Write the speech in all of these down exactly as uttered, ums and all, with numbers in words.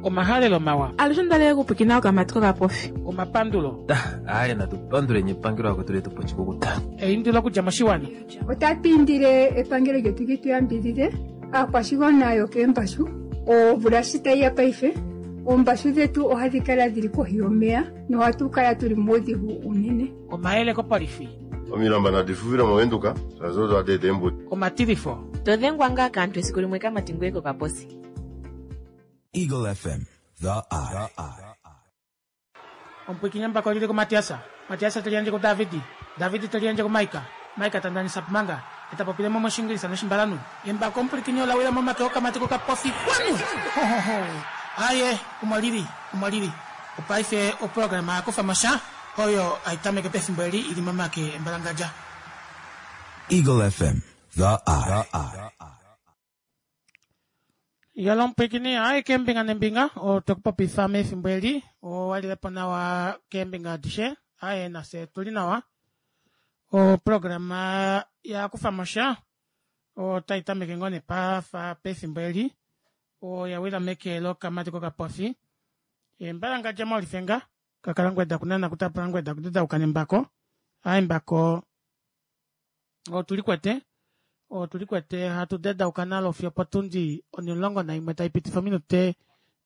Omahalelo mawa. Alushe ondalele okupwiikina okamati kokapofi. Omapandulo. Aaye natupanduleni epangelo akwetu letu pochikukuta. Eindilo okudja moshiwana. Otatu indile epangelo lyetu li tu yambidhidhe aakwashigwana yokeembashu. Omvula shi tayi ya paife, oombashu dhetu ohadhi kala dhili kohi yomeya nohatu kala tuli muudhigu unene. Omayele kopolifi. Omilamba nadi fufile movenduka shaashi odo hadi eta eembudi. Omatilifo. To dhengwa ngaa kaantu esiku limwe kamati ngoye kokaposi. Eagle F M, the eye. Omupwiikini mbako lili kuMatiasa. Matiasa te liyandje kuDavidi. Davidi te liyandje kuMaika. Maika ta ndanisa pumanga. Eta popile mo moshingilisa noshimbalanu. Embako omupwiikini ola wila momake okamati kokapofi. Kwanu! Ho, ho, ho. Aye, omo lili, omo lili. Opaife oprograma ya kufa mosha oyo aitameke pefimbo eli ili momake embalangadja. Eagle F M, the eye. Yalo omupwiikini, aye keembinga nembinga, otwekupopifa mefimbo eli, owalilepo nawa keembinga adishe, aye nafye tuli nawa. Oprograma ya kufa mosha otai tameke ngoo nepafa pefimbo eli, oya wila meke lokamati kokapofi. Embalangadja molifenga, kakala ngweda kunana kutapula ngweda kudedauka nembako. Aye mbako otulikwete, otulikwete hatu dedauka nalo fiyo potundi onimulongo naimwe taipitifa ominute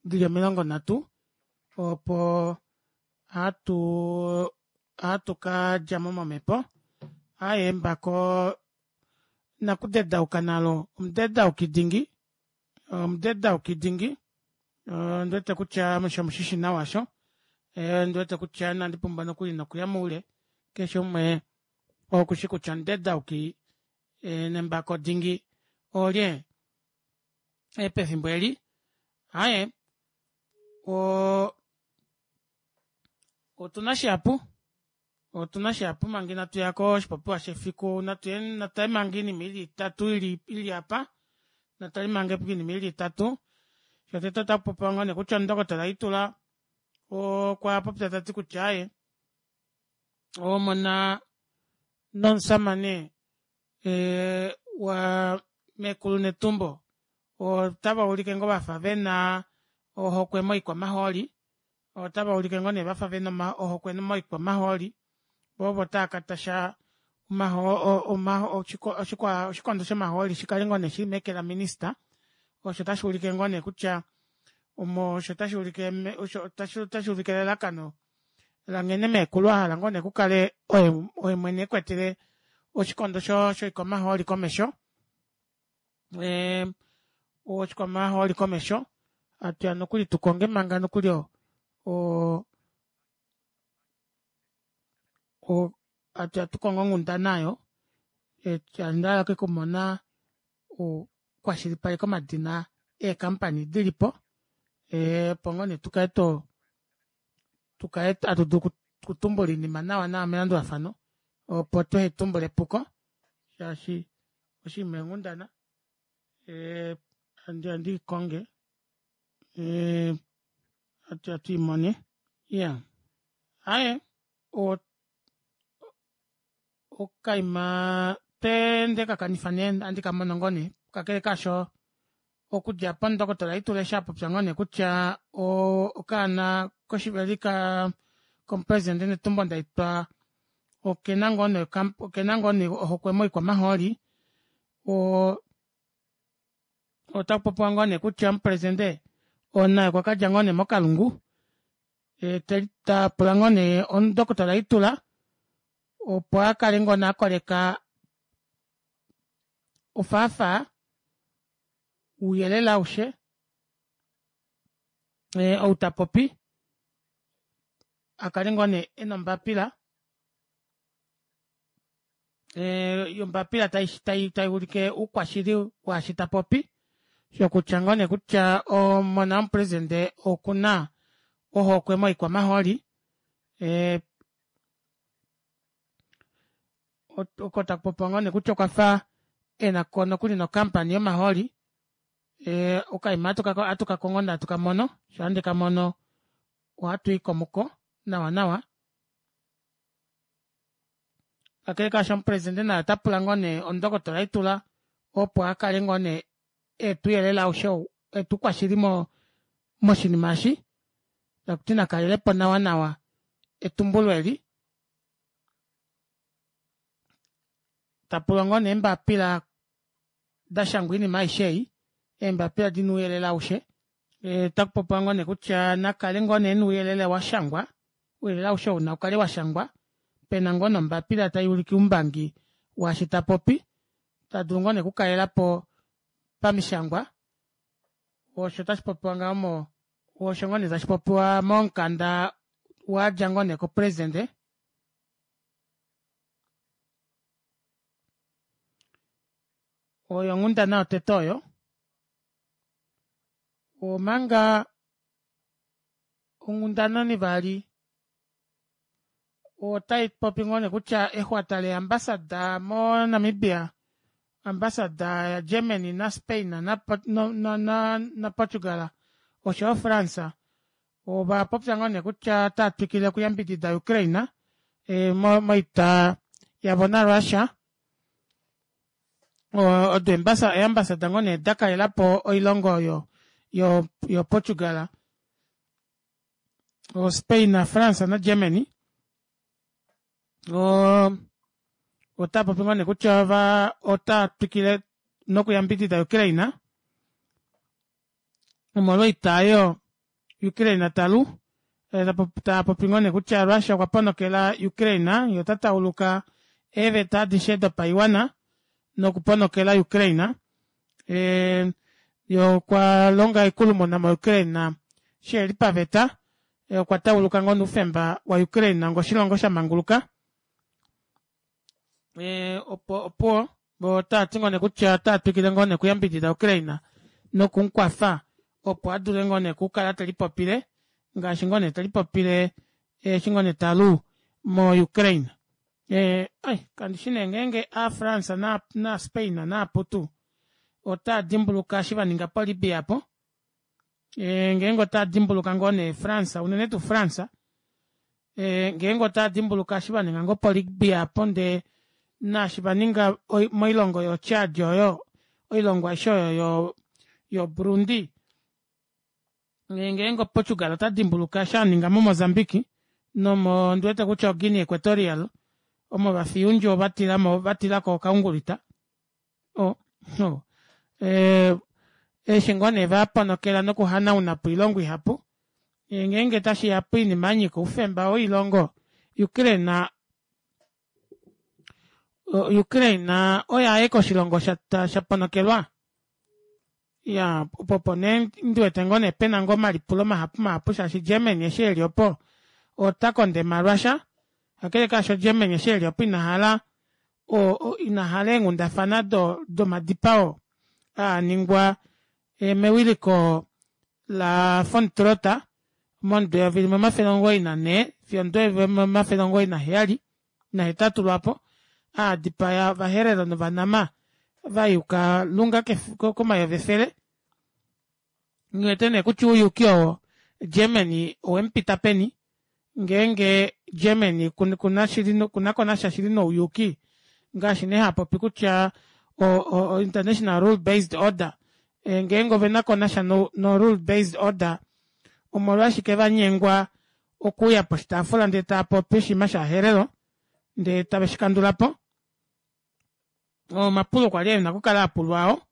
dili omilongo nhatu, opo hatu hatu ka djamo momhepo. Aye mbako nakudedauka nalo omudedauki dingi, omudedauki dingi, ondiwete kutya osho nawa osho, ondiwete kutya inandi pumbwa nokuli nokuya moule, keshe umwe okushi kutya omudedauki nembako dingi olye pefimbo eli. Aye o otuna shihapu, otuna shihapu manga inatu yako oshipopiwa shefiku, natale manga oinima ili itatu ili apa, natale manga oinima ili itatu. Shotete otakupopiwa ngoo nee kutya omundokotola Itula okwa popya tati kutya aye omona nomusamane wa mekulu Netumbo otava ulike ngoo vafa vena ohokwe moikwamahooli, otava ulike ngoo nee vafa vena ohokwe moikwamahooli, voo ovo tava katasha oshikondo shomahooli shikale ngoo nee shili meke laminista, osho tashuulike ngoo nee kutya osho tashuulike elalakano langhene meekulu ahala ngoo nee kukale oye mwene ekwetele oshikondo shoikwamahooli komesho, oshikwamahooli komesho, atuya nokuli tukonge manga nokuli o atuya tukonge onghundana aayo, ondahala ashike okumona kwashilipaleka omadina eekampany dilipo, opo ngoo nee tukale to tukale hatu dulu okutumbula oinima nawa nawa melandulafano, opo tuhatumbule epuko shaashi oshinima eenghundana handiya ndiikonge atuya tuimone. Iya aaye okaima tweende kakanifa nee ohandi kamono ngoo nee, kakele kaasho okudja opo omundokotola Itula eshi apopya ngoo nee kutya okaana koshiveli komupresident Netumbo Ndaitwah okena ngoo nee okena ngoo nee ohokwe moikwamahooli, otakupopiwa ngoo nee kutya omupresidente naye okwa kadja ngoo nee mokalungu tapula ngoo nee omundokotola Itula opo akale ngoo nee akoleka ofaafaa ouyelele aushe ou tapopi akale ngoo nee ena ombapila ombapila taiulike oukwashili waashi tapopi, shokutya ngoo nee kutya omona womupresidente okuna ohokwe moikwamahooli, oko takupopiwa ngoo nee kutya okwafa enako nokuli nokampany yomahooli, okaima ohatukakongo nee hatukamono, shaa ndekamono ohatuyi muko nawa nawa. Kakele kaasho omupresidente naye otapula ngoo nee omundokotola Itula opo akale ngoo nee etuuyelele aushe ou etukwashili Moshinima eshi takuti nakalelepo nawa nawa etumbulo eli tapulwa ngoo nee eembapila dashangwa oinima aishe ei eembapila dina ouyelele aushe otakupopiwa ngoo nee kutya nakale ngoo nee ena ouyelele washangwa ouyelele aushe ou naukale washangwa pena ngoo nombapila tayuulike oumbangi waashi tapopi tadulu ngoo nee okukalelapo pamishangwa osho tashipopiwa ngaho mo osho ngoo nee tashipopiwa momukanda wadja ngoo nee ko president oyo onghundana yotete oyo omanga onghundana onivali otaipopi ngoo nee kutya exwata lee ambassador mo namibia ambassador ya germany na spain na na portugal oshoyo france ovapopya ngoo nee kutya otaatwikile okuyambidida ukraine moita yavo na russia odo ee ambassador ngoo nee dakalelapo oilongo oyo yo portugal o spain france na germany oo otaapopi ngoo nee kutya otaatwikile nokuyambidida ukraine omolwo oita aayo ukraine talu taapopi ngoo nee kutya russia okwa ponokela ukraine yee ota tauluka eeveta adishe dopaiwana noku ponokela ukraine yee okwalonga oikulumuna mo ukraine shiheli paveta okwa tauluka ngoo nee oufemba wa ukraine onga oshilongo shamanguluka opuwo voo otavati ngoo nee kutya otaatwikile ngoo nee okuyambidida ukraine nokumukwafa opo adule ngoo nee okukala telipopile ngaashi ngoo nee telipopile eshi ngoo nee talu mo ukraine ai kandishi nee ngenge aa france na spain naaputu otaadimbuluka eshi vaninga po libya aapo ngeenge otadimbuluka ngoo nee france unene tuu france ngeenge otadimbuluka eshi vaninga ngoo po libya aapo ndee naashi vaninga moilongo yoo chad oyo oilongo aishe oyo yo burundi ngeenge portugal otadimbuluka eshi aninga mo mozambique nomo ondiwete kutya o guinea equatorial omo vafiya oundjuwo vatilako okaungulita oo eshi ngoo nee vaponokela noku hanaunapo oilongo ihapu ngeenge tashiya poinima yanyika oufemba woilongo ukraine ukraine oye aeke oshilongo shaponokelwa iyaa opo opo nee ndiwete pena ngoo omalipulo mahapu mahapu shaashi germany eshi eli opo ota kondema russia kakele kaasho germany eshi eli opo inahala inahala eenghundafana domadipao aaningwa mewiliko la von trota momudo eyovi limwe omafele omugoyi nanhee fiyo omudo eyovi limwe omafele omugoyi naheyali nahetatu lwaapo aadipaya ovaherero novanama vayuka lunga komayovi efele nghiwete nee kutya ouyuuki oo germany owemupita peni ngeenge germany okunakonasha shili nouyuuki ngaashi nee hapopi kutya o international rule based order ngeenge ovenakonasha no rule based order omolwashike vanyengwa okuuya poshitaafula ndee taapopi oshinima shovaherero ndee tave shikandulapo omapulo kwali ena okukala apulwa aawo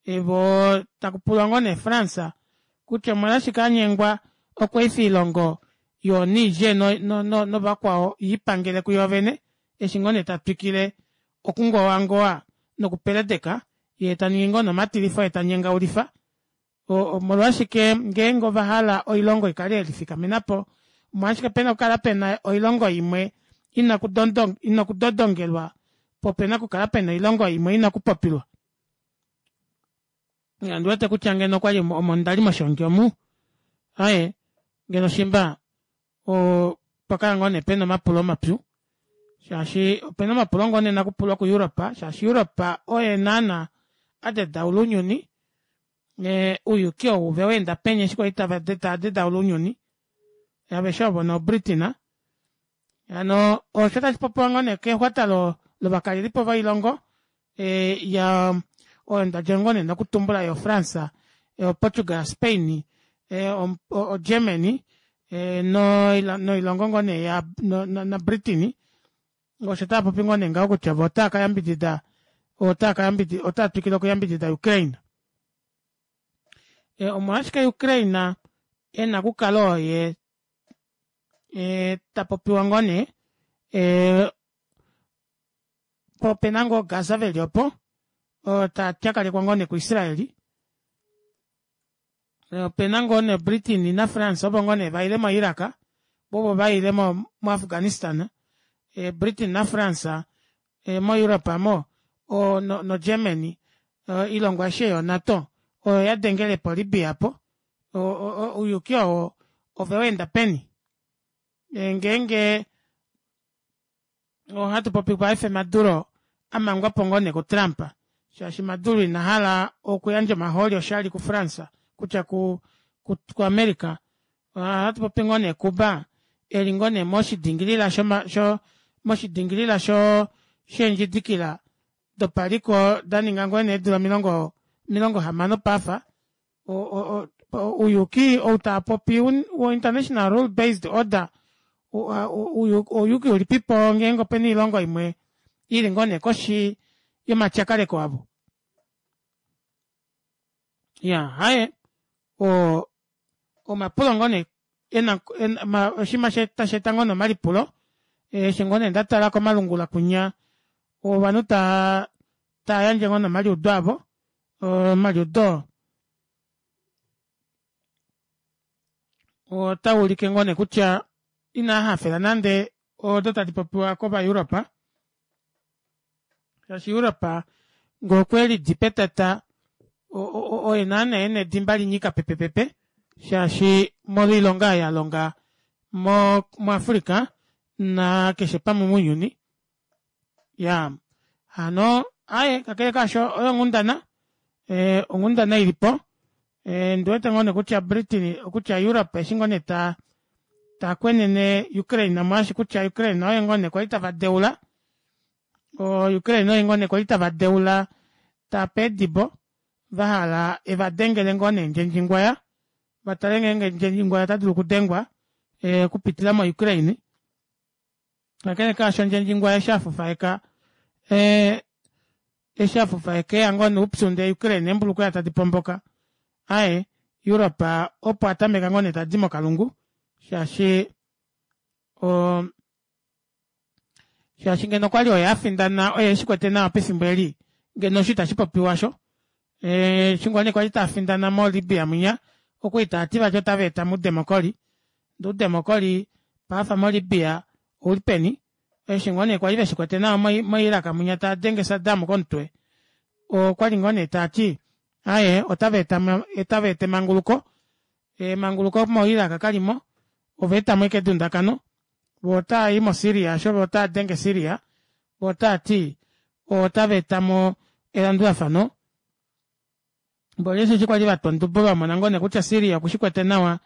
voo takupulwa ngoo nee france kutya omolwashike anyengwa okweefa oilongo yoo niger novakwao yiipangele kuyoovene eshi ngoo nee tatwikile okungowangowa noku peledeka yee taningi ngoo nee omatilifo yee tanyengaulifa omolwashike ngeenge ovahala oilongo ikale yelifikamenapo omolwashike pena okukala pena oilongo imwe ina okudodongelwa poo opena okukala pena oilongo imwe ina okupopilwa ondiwete kutya ngeno okwali omo ndali moshongi omu aaye ngeno shimba opakala ngoo nee pena omapulo mapyu shaashi opena omapulo ngoo nee ena okupulwa ku europe shaashi europe oye naana adedaula ounyuni ouyuki ou oweenda peni eshi kwali taadedaula ounyuni aveshe ovo no britain hano osho tashipopiwa ngoo nee kexwata lovakalelipo voilongo oyo ndadja ngoo nee nokutumbula yoo france, portugal, spain O Germany noilongo ngoo nee naBritain osho taapopi ngoo nee ngaho kutya voo otaakayambidida otaatwikile okuyambidida Ukraine. Omolwashike Ukraine ena okukala oye tapopiwa ngoo nee poo opena ngoo gaza veli opo taa tyakalekwa ngoo nee ku israel opena ngoo nee britain na france ovo ngoo nee vaile mo iraq voo ovo vaile mo afghanistan britain na france mo europe aamo no germany oilongo aishe ei yo nato oyo yadengelepo libya aapo ouyuuki oo oveweenda peni ngeenge ohatupopi paife maduro amangwapo ngoo nee ku trump shaashi maduro inahala okuyandja omahooli oshali ku france kutya ku america ohatupopi ngoo nee cuba eli ngoo nee moshidingilila moshidingilila sheendjidikila dopaliko daninga ngoo nee eedula omilongo omilongo hamano paife ouyuuki ou taapopi wo international rule based order ouyuuki ulipipo ngeenge opena oilongo imwe ili ngoo nee koshi yomatyakaleko avo iyaa aaye oo omapulo ngoo nee oshinima tasheeta ngoo nee omalipulo eshi ngoo nee ndatala komalungula kunya ovanhu tava tavayandje ngoo nee omaliudo avo omaliudo otaaulike ngoo nee kutya inaahafela nande odo tadi popiwa kova europe shaashi europe ngee okwelidi petata oye naana ena edimba linyika pepepepe shaashi molwo oilonga oyo alonga mo africa nakeshe pamwe mounyuni iyaa hano aaye kakele kaasho oyo onghundana onghundana ilipo ondiwete ngoo nee kutya britain kutya europe eshi ngoo nee takwenene ukraine omolwaashi kutya ukraine oye ngoo nee kwali tava deula oo ukraine oye ngoo nee kwali tava deula taape eedibo vahala evadengele ngoo nee ndjendjingwaya vatale ngeenge ndjendjingwaya otadulu okudengwa okupitila mo ukraine kakele kaasho ndjendjingwaya eshi afufaeka ee eshi afufaeka eya ngoo noupyu ndee ukraine eembulukweva tadi pomboka aaye europe opo atameka ngoo nee tadi mokalungu shaashi oo shaashi ngeno okwali oye afindana oye eshikwete nawa pefimbo eli ngeno osho ita shipopiwa aasho eshi ngoo nee kwali taafindana mo libya munya okwali taati vati ota vaetamo oudemocry ndee oudemocry paife mo libya oulipeni eshi ngoo nee kwali veshikwete nawa mo iraq munya taadenge saddam komutwe okwali ngoo nee taati aaye otavaeta emanguluko emanguluko mo iraq kalimo ovaetamo ashike edundakano voo otaayi mo syria aasho voo otaadenge syria voo otaati otavaetamo elandulafano mboli osheshi kwali vatwa odubo vamona ngoo nee kutya syria okushikwete nawa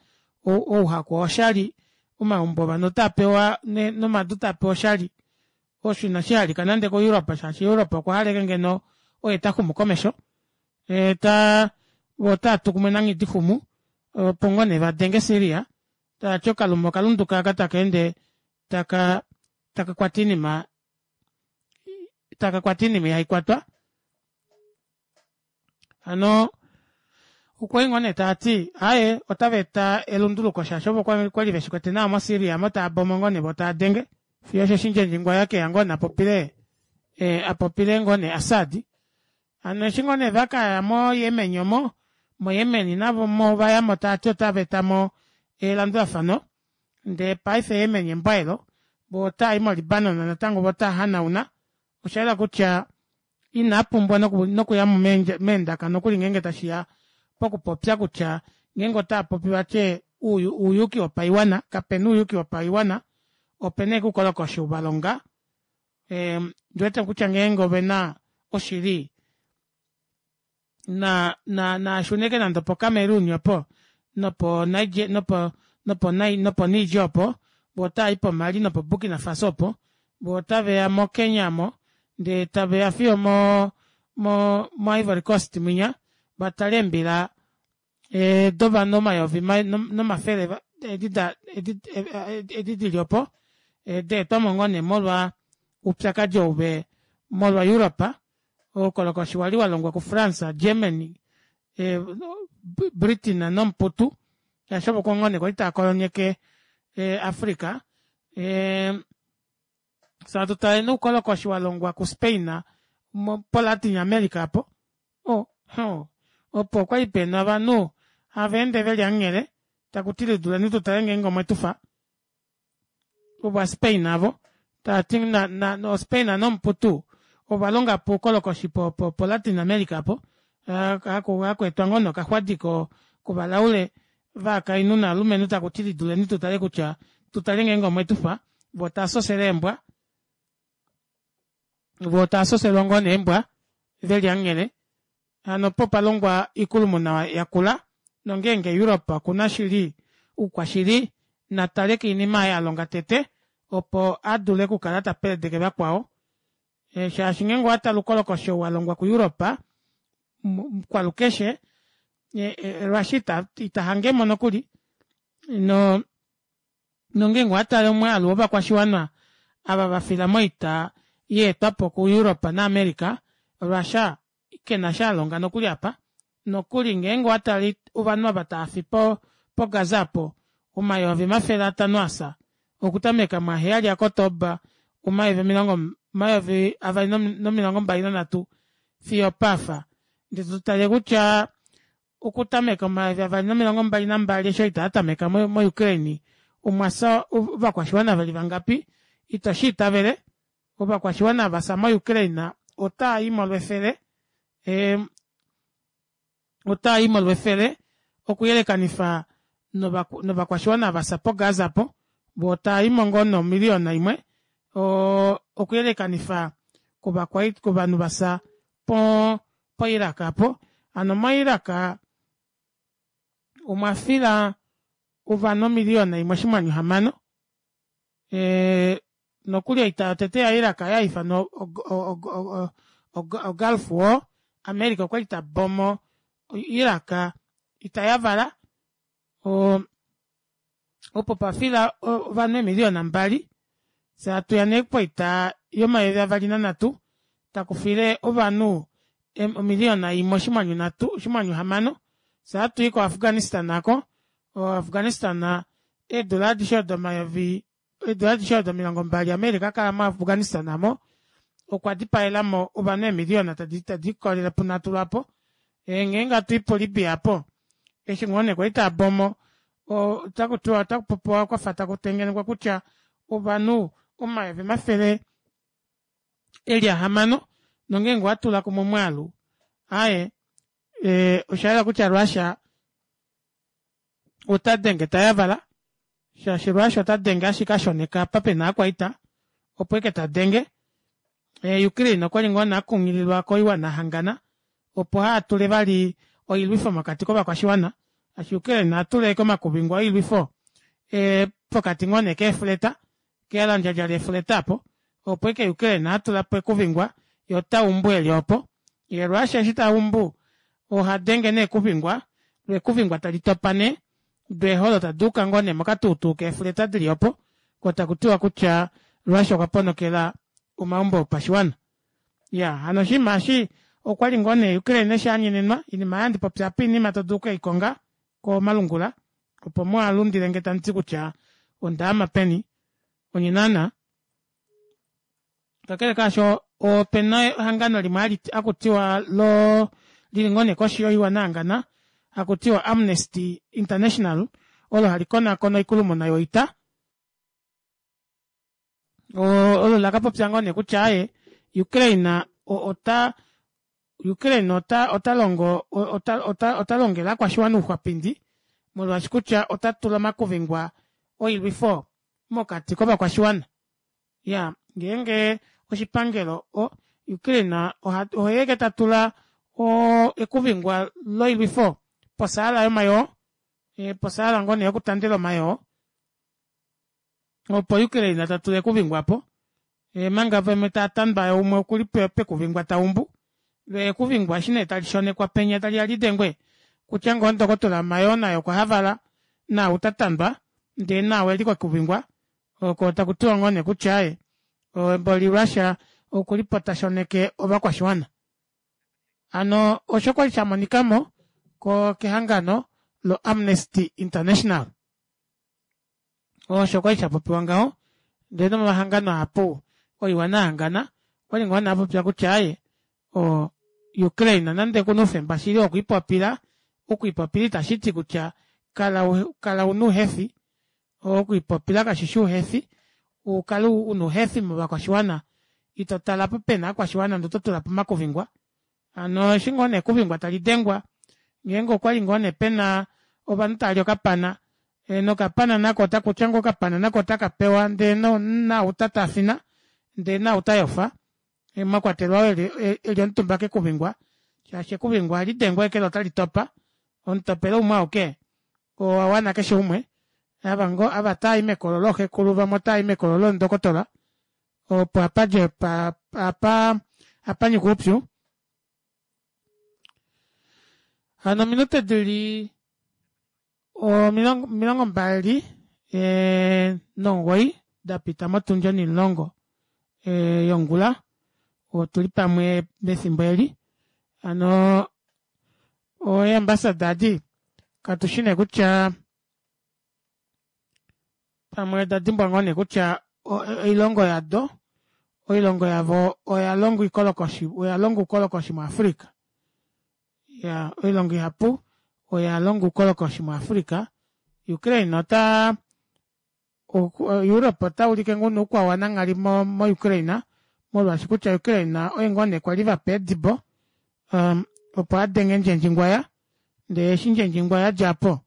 ouhaku owoshali omaumbo ovanhu otaapewa nomadu taapewa oshali osho ina shihalika nande ko europe shaashi europe okwa hala ashike ngeno oye taxumu komesho voo otaatu kumwe nanghidixumu opo ngoo nee vadenge syria taati okalume okalunduka aaka takeende taka takakwata oinima takakwata oinima ihaikwatwa hano okwali ngoo nee taati aaye otavaeta elunduluko shaashi ovo okwali veshikwete nawa mo syria aamo taabombo ngoo nee voo taadenge fiyo osheshi ndjendjingwaya ekeya ngoo nee apopile apopile ngoo nee assad hano eshi ngoo nee vakaya mo yemen omo mo yemen navo ovayamo taati ota vaetamo elandulafano ndee paife yemen embo aelo voo otaayi mo libanon natango voo otaahanauna oshayela kutya inaapumbwa nokuyamo meendaka nokuli ngeenge tashiya pokupopya kutya ngeenge otaapopi vatye ouyuuki wopaiwana kapena ouyuuki wopaiwana opena ashike oukolokoshi ou valonga ondiwete kutya ngeenge ovena oshili naashune ashike nande opo cameroon opo nopo niger opo voo otaayi po mali nopo burkina faso opo voo otaveya mo kenya aamo ndee taveya fiyo mo mo ivory coast mwinya vatale eembila Dovanhu omayovi nomafele edi dili opo daetwamo ngoo nee molwa oupyakadi ou molwa europe oukolokoshi wali walongwa ku france germany britain nomuputu shaashi ovo ngoo nee kwali taakolonyeke africa fyee hatu tale nee oukolokoshi walongwa ku spain po latin america aapo oo oo opo okwali pena ovanhu haveende veli hamunghele takuti liduleni tutale ngenge omwetufa ova spain aavo tavati o spain nomuputu ovalongapo oukolokoshi po latin america aapo hakweetwa ngoo nee okaxwadi kovalaule ovakainhu novalumenhu takuti liduleni tutale kutya tutale ngenge omwetufa voo tavasosele eembwa voo tavasoselwa ngoo nee eembwa veli hamunghele hano opo palongwa oikulumuna yakula nongenge europe okuna shili oukwashili natale koinima aayo alonga tete opo adule okukala tapeledeke vakwao shaashi ngenge owatale oukolokoshi ou walongwa ku europe kwalukeshe russia ita hangemo nokuli noo nongenge owatale omwaalu wovakwashiwana ava vafila moita yaetwapo ku europe na america russia kena eshi alonga nokuli aapa nokuli ngeenge owatale ovanhu ava tavafi po gaza aapo omayovi omafele atanho afya okutameka muaheyali a october omayovi omilongo omayovi avali nomilongo mbali nanhatu fiyo opaafa ndee totale kutya okutameka omayovi avali nomilongo mbali nambali eshi oita yatameka mo ukraine omwafya ovakwashiwana veli vangapi ito shiitavele ovakwashiwana vafya mo ukraine otaayimo lwefele otaayimo lwefele okuyelekanifa novakwashiwana vafya po gaza aapo voo tavaimo ngoo nomillion imwe oo okuyelekanifa kovanhu vafya po iraq aapo hano mo iraq omwafila ovanhu omilion imwe oshinghwanyu hamano nokuli oita yotete ya iraq oya haifanwa o gulf war america okwali tabombo iraq ita yavala oo opo pwafila ovanhu eemiliona mbali fyee hatuya nee poita yomayovi avali nanhatu takufile ovanhu omiliona imwe oshinghwanyu nhatu oshinghwanyu hamano fyee ohatui ko afghanistan aako o afghanistan eedula adishe odo omayovi eedula adishe odo omilongo mbali america akala mo afghanistan aamo okwa dipaelamo ovanhu eemiliona tadiikolele punhatu lwaapo ngeenge hatui po libya aapo eshi ngoo nee kwali taabombo otakutiwa otakupopiwa kwafa takutengenekwa kutya ovanhu omayovi omafele eli ahamano nongenge owatula kumwe omwaalu aaye oshayela kutya russia otadenge tayavala shaashi russia otadenge ashike ashoneka apa pena ovakwaita opo ashike tadenge ukraine okwali ngoo nee akunghililwa koiwana yahangana opo ahatule vali oilwifo mokati kovakwashiwana shaashi ukraine ohatula ashike omakuvingwa oilwifo pokati ngoo nee keefleta kehalandjadja leefleta aapo opo ashike ukraine atulapo ekuvingwa yee otaumbu eli opo yee russia eshi taumbu ohadenge nee ekuvingwa loo ekuvingwa tali topa nee doo eeholo taduuka ngoo nee mokatuutuu keefleta dili opo koo takutiwa kutya russia okwa ponokela omaumbo opashiwana iyaa hano oshinima eshi okwali ngoo nee ukraine eshi anyenenwa oinima ei handipopi aapa oinima todulu okeikonga komalungula opo muhalundilenge tamuti kutya ondaama peni onye naana kakele kaasho opena ehangano limwe hakutiwa loo lili ngoo nee koshi yoiwana yahangana hakutiwa amnesty international olo hali konaakona oikulumuna yoita olo lakapopya ngoo nee kutya aaye ukraine ota ukraine otalongo otalongele ovakwashiwana ouxwapindi molwaashi kutya otatula omakuvingwa oilwifo mokati kovakwashiwana iyaa ngeenge oshipangelo ukraine oye ashike tatula ekuvingwa loilwifo posaala yomayoo posaala ngoo nee yokutandela omayoo opo ukraine tatula ekuvingwa aapo omanga vamwe taatandwa yee umwe okuli pekuvingwa taumbu loo ekuvingwa eshi nee talishonekwa penya taliya lidengwe Kutya ngoo ndokotola Mayoon naye okwa havala naau tatandwa ndee naau eli kokuvingwa oko takutiwa ngoo nee kutya aaye mboli Russia okulipo tashoneke ovakwashiwana. Hano osho kwali shamonikamo kehangano lo Amnesty International. Osho kwali shapopiwa ngaho ndee nomahangano ahapu oiwana yahangana okwali ngoo nee apopya kutya aaye oo Ukraine nande okuna oufemba shili wokwiipopila, okwiipopila itashiti kutya kala una uhefi okwiipopila kashishi ouhefi ukale una ouhefi movakwashiwana ito tale apa pena ovakwashiwana ndee ototulapo omakuvingwa hano eshi ngoo nee ekuvingwa talidengwa ngeenge okwali ngoo nee pena ovanhu tavali okapana nokapana nako kutya ngoo okapana nako otakapewa ndee naau tatafina ndee naau tayofa mwakwatelwa oo eli omutumba kekuvingwa shaashi ekuvingwa ohalidengwa ashike loo otalitopa omutopelo umwe auke owawana keshe umwe ava tavayi mekolo looxekulu vamwe otavayi mekolo loondokotola opo apadje apa apanyika oupyu. Hano ominute dili omilongo mbali nomugoyi dapita motundi onimulongo yongula otuli pamwe mefimbo eli hano ee ambassador edi katushi nee kutya pamwe oda dimbwa ngoo nee kutya oilongo yado oilongo yavo oyalonga oikolokoshi oyalonga oukolokoshi mu africa iyaa oilongo ihapu oyalonga oukolokoshi mu africa Ukraine otaa Europe otaulike ngoo nee oukwao wananghali mo ukraine molwaashi kutya Ukraine oye ngoo nee kwali vapa eedibo opo adenge ndjendjingwaya ndee eshi ndjendjingwaya adjapo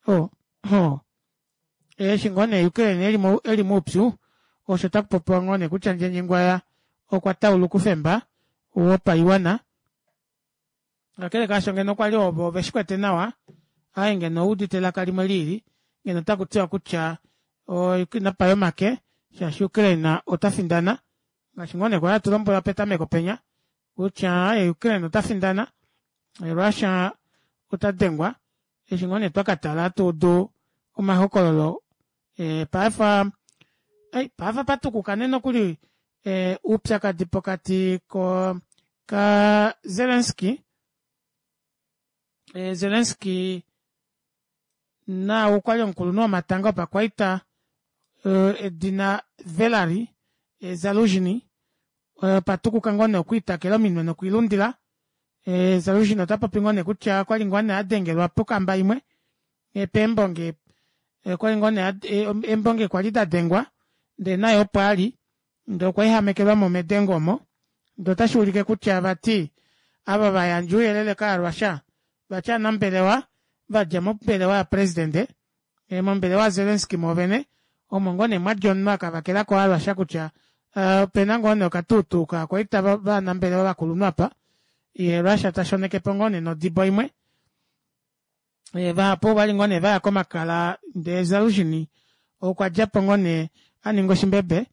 oo eshi ngoo nee Ukraine eli moupyu osho otakupopiwa ngoo nee kutya ndjendjingwaya okwa tauluka oufemba wopaiwana kakele kaasho ngeno okwali ovo oveshikwete nawa aaye ngeno owuudite elaka limwe liili ngeno otakutiwa kutya napaye omake shaashi Ukraine otafindana ngaashi ngoo nee kwali hatu lombwelwa petameko penya kutya aaye Ukraine otafindana Russia otadengwa eshi ngoo nee twakatala hatuudu omahokololo paife paife opatukuka nee nokuli oupyakadi pokati ka Zelensky Zelensky naau kwali omukulunhu womatanga opakwaita edina Valery Zaluzhny opatukuka ngoo nee okwiitakela ominwe nokwiilundila Zaluzhny otapopi ngoo nee kutya okwali ngoo nee adengelwa pokamba imwe peembonge okwali ngoo nee eembonge kwali dadengwa ndee naye opo ali ndee okwa ehamekelwamo medengo omo ndee otashuulike kutya vati ava vayandja ouyelele kaa Russia vati ovanambelewa vadja mombelewa ya president mombelewa ya Zelensky mwoovene omo ngoo nee mwadja omunhu akavakelako ova Russia kutya opena ngoo nee okatuutuu kovakwaita vovanambelewa vakulunhu aapa yee Russia tashonekepo ngoo nee nodibo imwe vahapu okwali ngoo nee vaya komakala ndee Zaluzhny okwadjapo ngoo nee aninga oshimbebe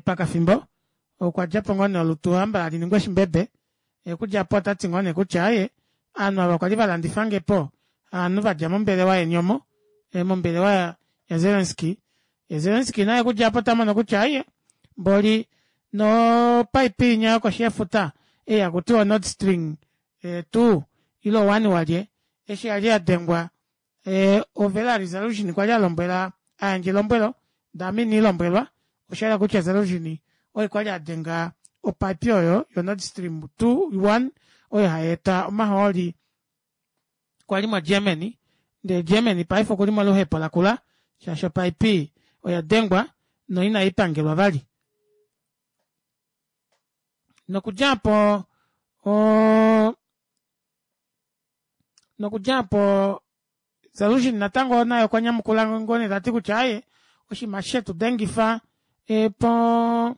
pakafimbo okwadjapo ngoo nee olutu hamba haliningi oshimbebe okudja aapo otati ngoo nee kutya aaye ovanhu ava kwali valandifangepo ovanhu vadja mombelewa yeni omo mombelewa ya Zelensky yee Zelensky naye okudja aapo otamono kutya aaye mboli no pipe inya yokoshi yefuta ei hakutiwa nord stream two ile one walye eshi yali yadengwa o Zaluzhny kwali alombwela ayandja elombwelo ndee ame iniilombwelwa oshayela kutya Zaluzhny oye kwali adenga opipe oyo yo nord stream two one oyo hayeeta omahooli kwali mo Germany ndee Germany paife okuli moluhepo lakula shaashi opipe oyadengwa no ina ipangelwa vali nokudja aapo oo nokudja aapo Zaluzhny natango naye okwa nyamukula ngoo nee tati kutya aaye oshinima eshi shetudengifa poo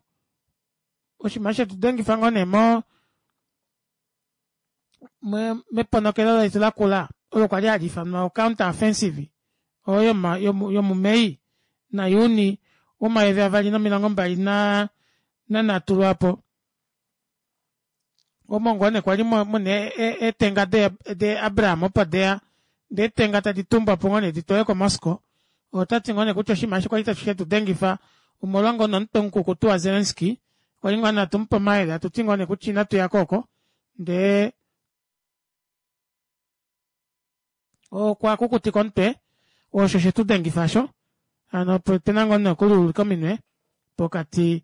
oshinima eshi shetudengifa ngoo nee mo meponokelo letu lakula olo kwali haliifanwa counter offensive oyo yomu may na juni womayovi avali nomilongo mbali nanhatu lwaapo Omo ngoo nee kwali muna eetenga de Abraham opo deya ndee eetenga tadi tumbwapo ngoo nee ditwalwe ko moscow otati ngoo nee kutya oshinima eshi kwali shetudengifa omolwa ngoo nee omutwe mukukutu wa Zelensky kwali ngoo nee hatumupe omayele hatuti ngoo nee kutya inatuyako oko ndee okwa kukutika omutwe osho shetudengifa aasho hano opena ngoo nee okuliulika ominwe pokati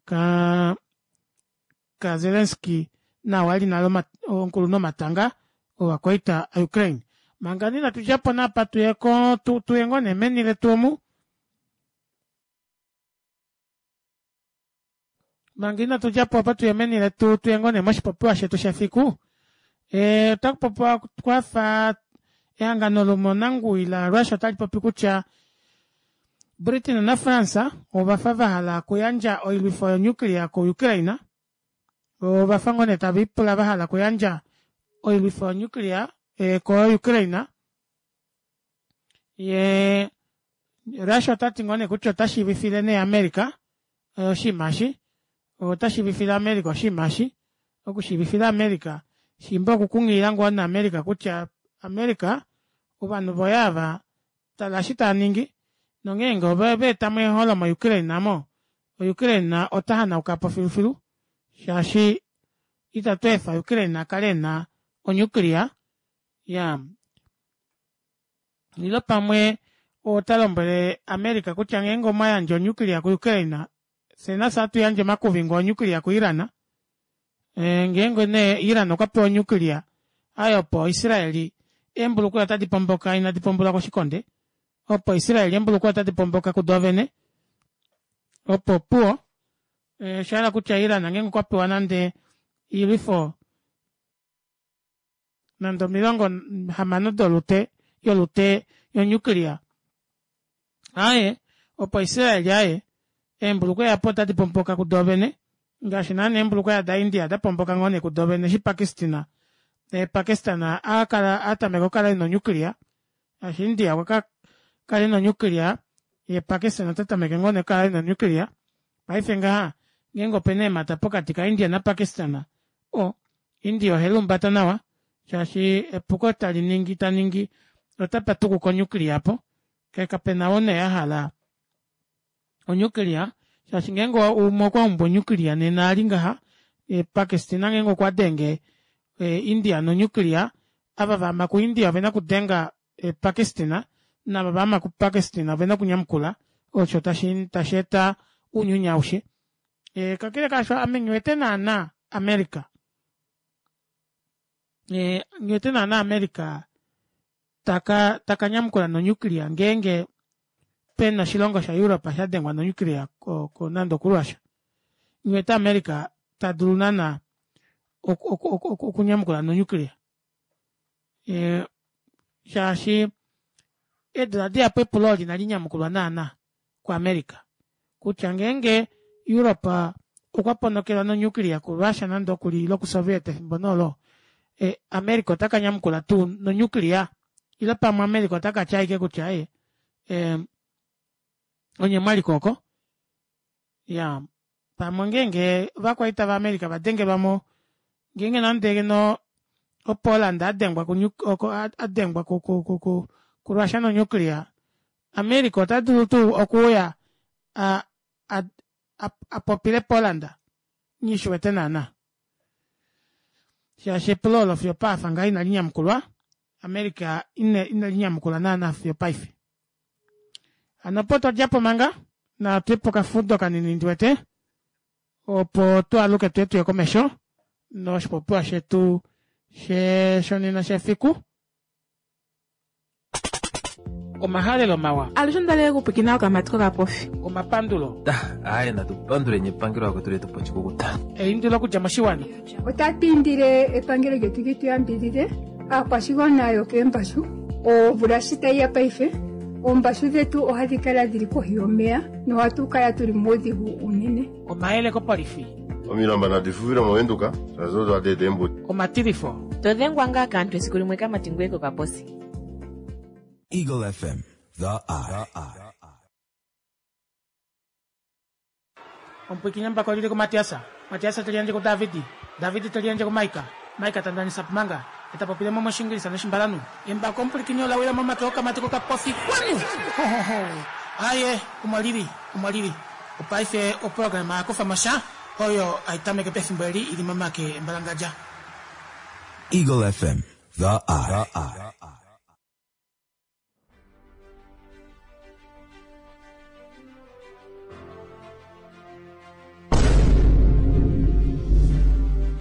kaa ka Zelensky naao ali nale omukulunhu womatanga ovakwaita a Ukraine. Manga nee inatudjapo nee apa tuyeko tuye ngoo nee meni letu omu manga inatudjapo aapa tuye meni letu tuye ngoo nee moshipopiwa shetu shefiku ee otakupopiwa kwafa ehangano lomonanguwi la Russia otalipopi kutya Britain na France ovafa vahala okuyandja oilwifo yo nuclear ko Ukraine ovafa ngoo nee taviipula vahala okuyandja oilwifo yo nuclear ko Ukraine yee Russia otati ngoo nee kutya ota shiivifile nee America oshinima eshi otashiivifile America oshinima eshi okushiivifila America shiimba oku kunghilila ngoo nee America kutya America ovanhu voye aava tala eshi taaningi nongeenge ovaetamo eeholo mo Ukraine aamo o Ukraine ota hanaukapo filufilu shaashi ita tweefa Ukraine akale ena o nuclear iyaa ile pamwe otalombwele America kutya ngeenge omwayandje o nuclear ku Ukraine fyee nafye ohatuyandje omakuvingo o nuclear ku Iran ngeenge nee Iran okwapewa o nuclear aaye opo Israeli eembulukweva otadi pomboka inadi pombolwa koshikonde opo Israel eembulukweva otadi pomboka kudoovene opo opuwo oshahala kutya Iran ngeenge okwapewa nande oilwifo nande omilongo hamano dolute yolute yo nuclear aaye opo israel aaye eembulukweva aapo otadi pomboka kudoovene ngaashi naana eembulukweva da india dapomboka ngoo nee kudoovene eshi pakistan pakistan akala atameka okukala ena o nuclear shaashi india okwakala ena o nuclear yee pakistan otatameke ngoo nee okukala ena o nuclear paife ngaha ngeenge opena eemata pokati ka india na pakistan oo india oheliumbata nawa shaashi epuko taliningi taningi otapatukuka o nuclear aapo kee kapena oo nee ahala o nuclear shaashi ngeenge umwe okwaumbu o nuclear nena eli ngaha pakistan ngeenge okwadenge india no nuclear ava vaama ku india ovena okudenga pakistan naava vaama ku pakistan ovena okunyamukula osho tasheeta ounyuni aushe kakele kaasho ame nghiwete naana america nghiwete naana america taka taka nyamukula no nuclear ngeenge pena oshilongo sha europe shadengwa no nuclear nande oku russia nghiwete america tadulu naana okunyamukula no nuclear shaashi eedula dihapu epulo olo inalinyamukulwa naana ku america kutya ngeenge europe okwa ponokelwa no nuclear ku russia nande okuli ile ku soviet efimbo nee olo america ota kanyamukula tuu no nuclear ile pamwe america otakatya ashike kutya aaye onye mwaliko oko iyaa pamwe ngeenge ovakwaita va america vadengelwamo ngeenge nande ngeno o poland adengwa adengwa ku russia no nuclear america otadulu tuu okuuya apopile poland nghishiwete naana shaashi epulo olo fiyo opapa ngaha inalinyamukulwa america inelinyamukula naana fiyo opaife hano opo twadjapo manga natuye pokafudo kanini ndiwete opo twaaluke tuye tuye komesho noshipopiwa shetu shonena shefiku omahalelo mawa alushe ondalele okupwiikina okamati kokapofi omapandulo aaye natupanduleni epangelo lakwetu letupa oshikukuta eindilo okudja moshiwana Otatu indile epangelo lyetu li tu yambidhidhe aakwashigwana yokeembashu omvula shi tayi ya paife oombashu dhetu ohadhi kala dhili kohi yomeya nohatu kala tuli muudhigu unene. Omayele kopolifi Omilamba nadi fufile movenduka shaashi odo hadi eta eembuto. Omatilifo To dhengwa ngaa kaantu esiku limwe kamati ngoye kokaposi. Eagle F M, The Eye. Omupwiikini embako olili kuMatias. Matias te liyandje kuDavid. David te liyandje kuMaika. Maika ta ndanisa Pumanga. Eta popile mo mOshiingilisa nOshimbalanhu. Embako omupwilikini ola wila momake okamati kokapofi. Xwanu! Ho-ho-ho! Aaye, omo li li, omo li li. Opaife oprograma Kufa mo sha oyo hai tameke pefimbo eli i li momake embalangadja. Eagle F M, The Eye.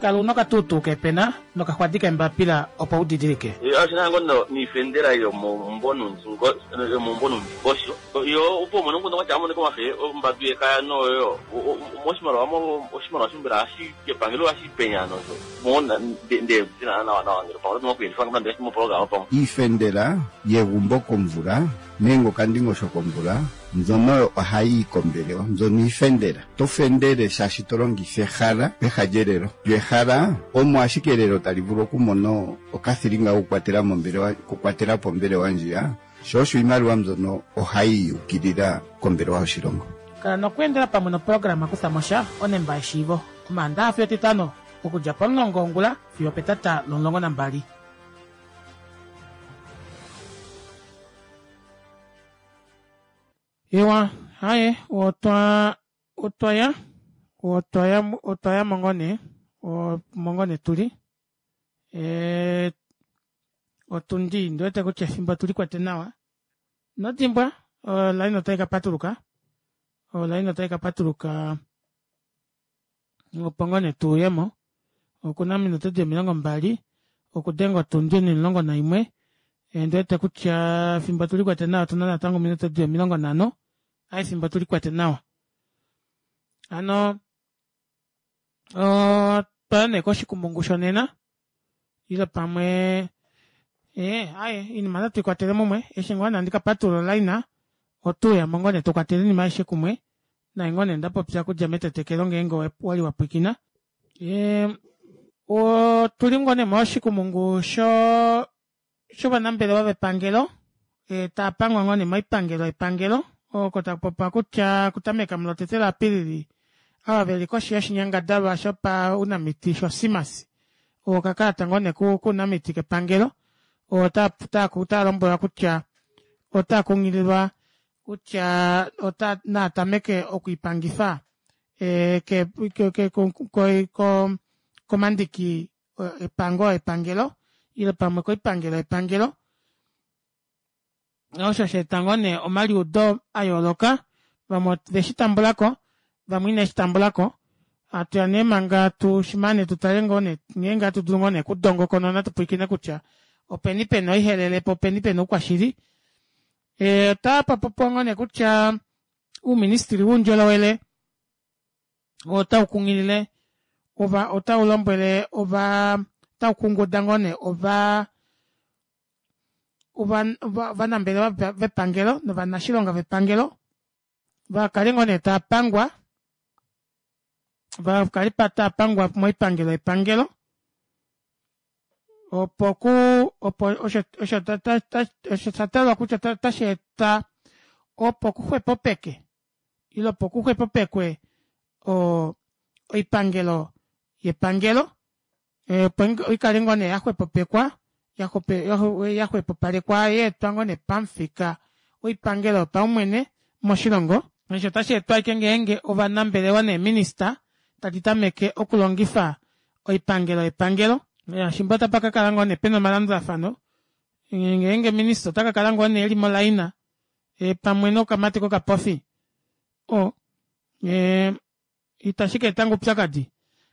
Kala una okatuutuu kepena nokaxwadi kembapila opo u didilike. Oshinango niifendela yomombonundingosho yo opo mono nguno wacha amone komafe ombadu yekaya noyo moshimaliwa oshimaliwa shombela ashi kepangelo ashi penyano so mona nde tina nawa nawa ngelo pamwe tinokuendifanga mna mo program pamwe iifendela yegumbo komvula nenge okandingosho komvula mbyono ohayi kombelewa mbyono iifendela to fendele shaashi to longitha ehala peha lyelelo lyo ehala omo ashike elelo tali vulu okumona okathilinga okukwatela mombelewa okukwatela po ombelewa ndjiya sho osho iimaliwa mbyono ohayi yukilila kombelewa yoshilongo. Kala nokweendela pamwe noprograma Kutha mo sha onemba yeshiivo Omaandaxa fiyo Etitano okudja pomulongo wongula fiyo petata lomulongo nambali. Ewa, haye, otwa otwa ya otwa ya otwa ya mongone mongone tuli e otundi ndiwete kutya efimbo tuli kwete nawa nodimbwa olaini otai ka patuluka olaini otai ka patuluka opo ngone tuuyemo okuna ominute di omilongo mbali okudenga otundi omulongo naimwe ndiwete kutya efimbo tuli kwete nawa otuna natango ominute di omilongo nhano ai efimbo tuli kwete nawa ano otwaya nee koshikumungu shonena ile pamwe eh aye inima natu ikwatele mumwe eshi ngoo nandi kapatulula olaina otuuya mo ngoo nee tukwatele inima aishe kumwe naye ngoo nee ndapopya kudja metetekelo ngeenge wali wapwikina. Otuli ngoo nee moshikumungu sho shovanambelewa vepangelo taapangwa ngoo nee moipangelo yepangelo oko takupopiwa kutya okutameka mulotete laApilili ava veli koshi yoshinyangadalwa shopaunamiti shoSIMAS okakalata ngoo nee kounamiti kepangelo otaa lombwelwa kutya otaa kunghililwa kutya ota naatameke okwiipangifa komandiki epango epangelo ile pamwe koipangelo yepangelo osho sheeta ngoo nee omaliudo a yooloka vamwe veshi tambulako vamwe ineshi tambulako atuya nee manga tushimane tutale ngoo nee ngeenge hatu dulu ngoo nee kudongokonona tupwilikine kutya openi pena oihelele po openi pena oukwashili. Otapa popiwa ngoo nee kutya uuministili woundjolowele otau kunghilile ova otau lombwele ova otau kunguda ngoo nee ova ovanambelewa vepangelo novanashilonga vepangelo vakale ngoo nee taapangwa vakale taapangwa moipangelo yepangelo opo ku opo osho osho osho shatalwa kutya otashi eta opo kuxwepopeke ile opo kuxwepopekwe oipangelo yepangelo opo ikale ngoo nee yaxwepopekwa yaxwepopalekwa yeetwa ngoo nee pamufika woipangelo yopaumwene moshilongo. Osho otashi etwa ashike ngeenge ovanambelewa neeminista tadi tameke okulongifa oipangelo yepangelo shimba otapa kakala ngoo nee pena omalandulafano ngeenge minista ota kakala ngoo nee eli molaina pamwe nokamati kokapofi o itashi ka eta ngoo oupyakadi.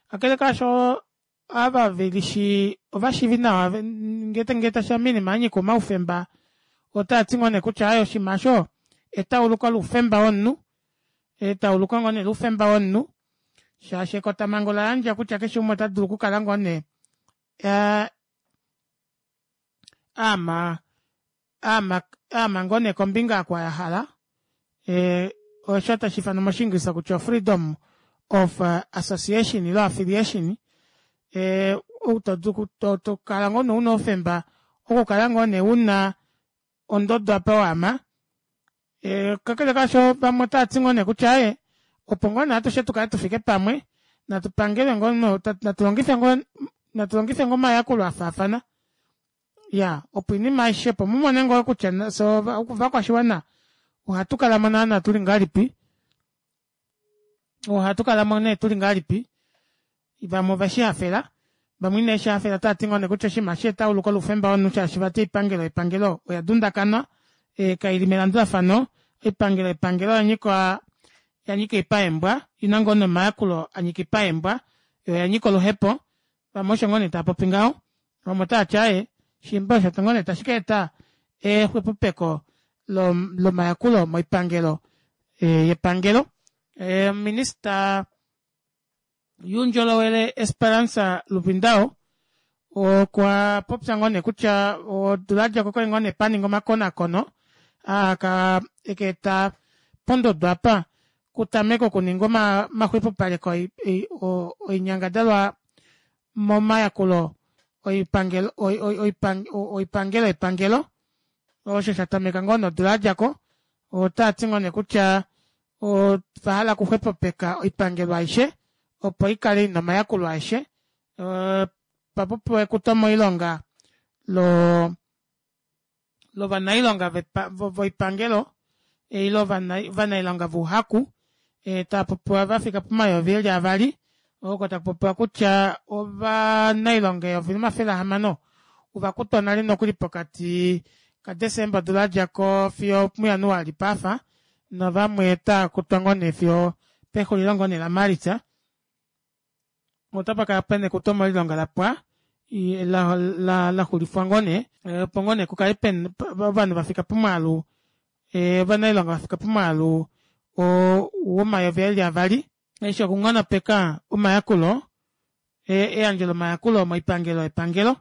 Kakele kaasho ava velishi ovashiivi nawa ngee tashiya moinima yanyika omaufemba otaati ngoo nee kutya aye oshinima osho etauluko loufemba womunhu etauluko ngoo nee loufemba womunhu shaashi ekotamhango ola yandja kutya keshe umwe ota dulu okukala ngoo nee aama aama ngoo nee kombinga oko yahala osho tashi ifanwa moshiingilisa kutya freedom of association ile affiliation tokala ngoo nee una oufemba okukala ngoo nee una ondodo apa waama. Kakele kaasho vamwe otaati ngoo nee kutya aye opo ngoo nee atushe tukale tufike pamwe Natu pangelwe ngoo natu longife ngoo natu longife ngoo omayakulo afaafana. Iyaa opo oinima aishe opo mumone ngoo kutya fyee ovakwashiwana ohatu kalamo naana tuli ngahelipi ohatukalamo nee tuli ngahelipi vamwe oveshihafela vamwe ineveshihafela otaati ngoo nee kutya oshinima eshi etauluko loufemba womunhu shaashi vati oipangelo yepangelo oya dundakana kaili melandulafano oipangelo yepangelo oyanyika oyanyika oipa yeembwa oina ngoo nee omayakulo anyika oipa yeembwa yoo oyanyika oluhepo vamwe osho ngoo nee taapopi ngaho vamwe otaati aaye shimba osho ngoo nee tashi kaeta exwepopeko lomayakulo moipangelo yepangelo. Ominister youndjolowele Esperance Luvindao okwa popya ngoo nee kutya odula yadjako okwali ngoo nee paningwa omakonaakono aa ekaeta pondodo aapa kutamekwe okuningwa omaxwepopaleko oinyangadalwa momayakulo oipangelo yepangelo osho shatameka ngoo nee odula yadjako otaati ngoo nee kutya ovahala okuxwepopeka oipangelo aishe opo ikale ina omayakulo aeshe otapa popiwa ekuto moilonga loo lovanailonga voipangelo ile ovanailonga vouhaku taapopiwa vafika pomayovi eli avali oko takupopiwa kutya ovanailonga eyovi nomafele ahamano ovakutwa nale nokuli pokati ka december odula yadjako fiyo omu januali paafa navamwe otaakutwa ngoo nee fiyo pexulilo ngoo nee la maalitsa otapakala pena ekuto moilonga lapwa laxulifwa ngoo nee opo ngoo nee kukale pena ovanhu vafika pomwaalu ovanailonga vafika pomwaalu womayovi eli avali eshi okunghonopeka omayakulo eyandjo lomayakulo moipangelo yepangelo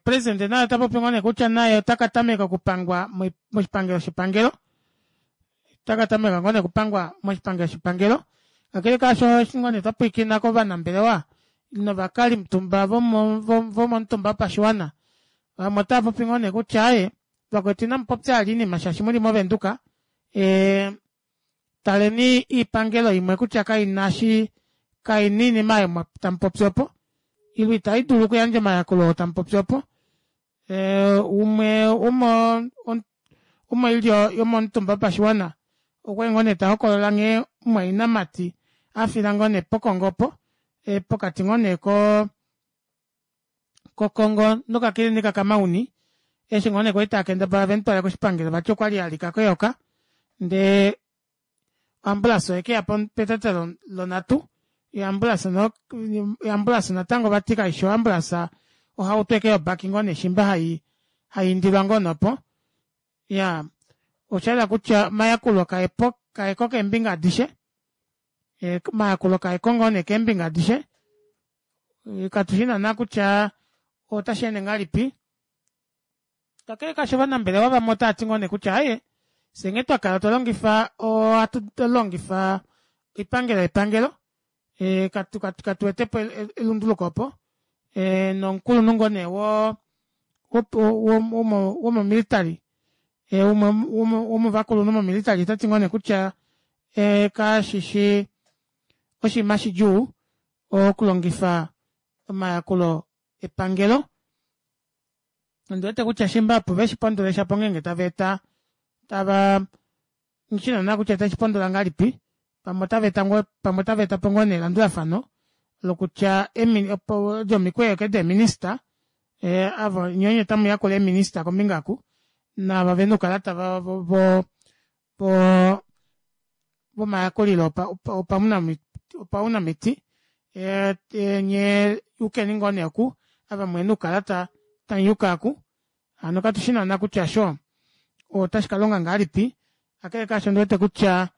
president naye otapopi ngoo nee kutya naye otakatameka okupangwa moshipangelo shepangelo otakatameka ngoo nee okupangwa moshipangelo shepangelo kakele kaasho eshi ngoo nee twapwilikina kovanambelewa novakalimutumba vomomutumba wopashiwana vamwe otaapopi ngoo nee kutya aaye vakwetu inamupopya vali oinima shaashi muli mo venduka taleni oipangelo imwe kutya kaina eshi kaina oinima aayo tamupopi opo ile itaidulu okuyandja omayakulo oo tamupopi opo umwe womoilyo yomomutumba wopashiwana okwali ngoo nee tahokolola nghee mumwainamati afila ngoo nee pokongo opo pokati ngoo nee koo kokongo nokakilinika ka mauni eshi ngoo nee kwali taakendabala vemutwale koshipangelo vati okwali alika keyoka ndee o ambulance oyekeya petata lonhatu yoo ambulance natango vati kaifi o ambulance ohauto ashike yobaki ngoo nee shimba hayiindilwa ngoo nee opo iyaa oshayela kutya omayakulo kaepo kaeko keembinga adishe omayakulo kaeko ngoo nee keembinga adishe katushi naana kutya otasheende ngahelipi kakele kaasho ovanambelewa vamwe otaati ngoo nee kutya aaye fyee nghee twakala otwalongifa ohatu longifa oipangelo yepangelo katuwetepo elunduluko opo nomukulunhu ngoo nee wo womo military umwe womovakulunhu mo military otati ngoo nee kutya kashishi oshinima shidjuu okulongifa omayakulo epangelo ondiwete kutya shimba opo veshipondole shapo ongenge taveeta tava nghishi naana kutya otave shipondola ngahelipi pamwe otaveeta ngoo pamwe otaveetapo ngoo nee elandulafano lokutya odo omikweyo ashike dee minister ava nyee onye tamuyakula ee minister kombinga oku naava vena oukalata vo vomayakulilo opaunamiti nyee yukeni ngoo nee oku ava muhena oukalata tamuyuka aaku hano katushi naana kutya osho otashi kalonga ngahelipi kakele kaasho ondiwete kutya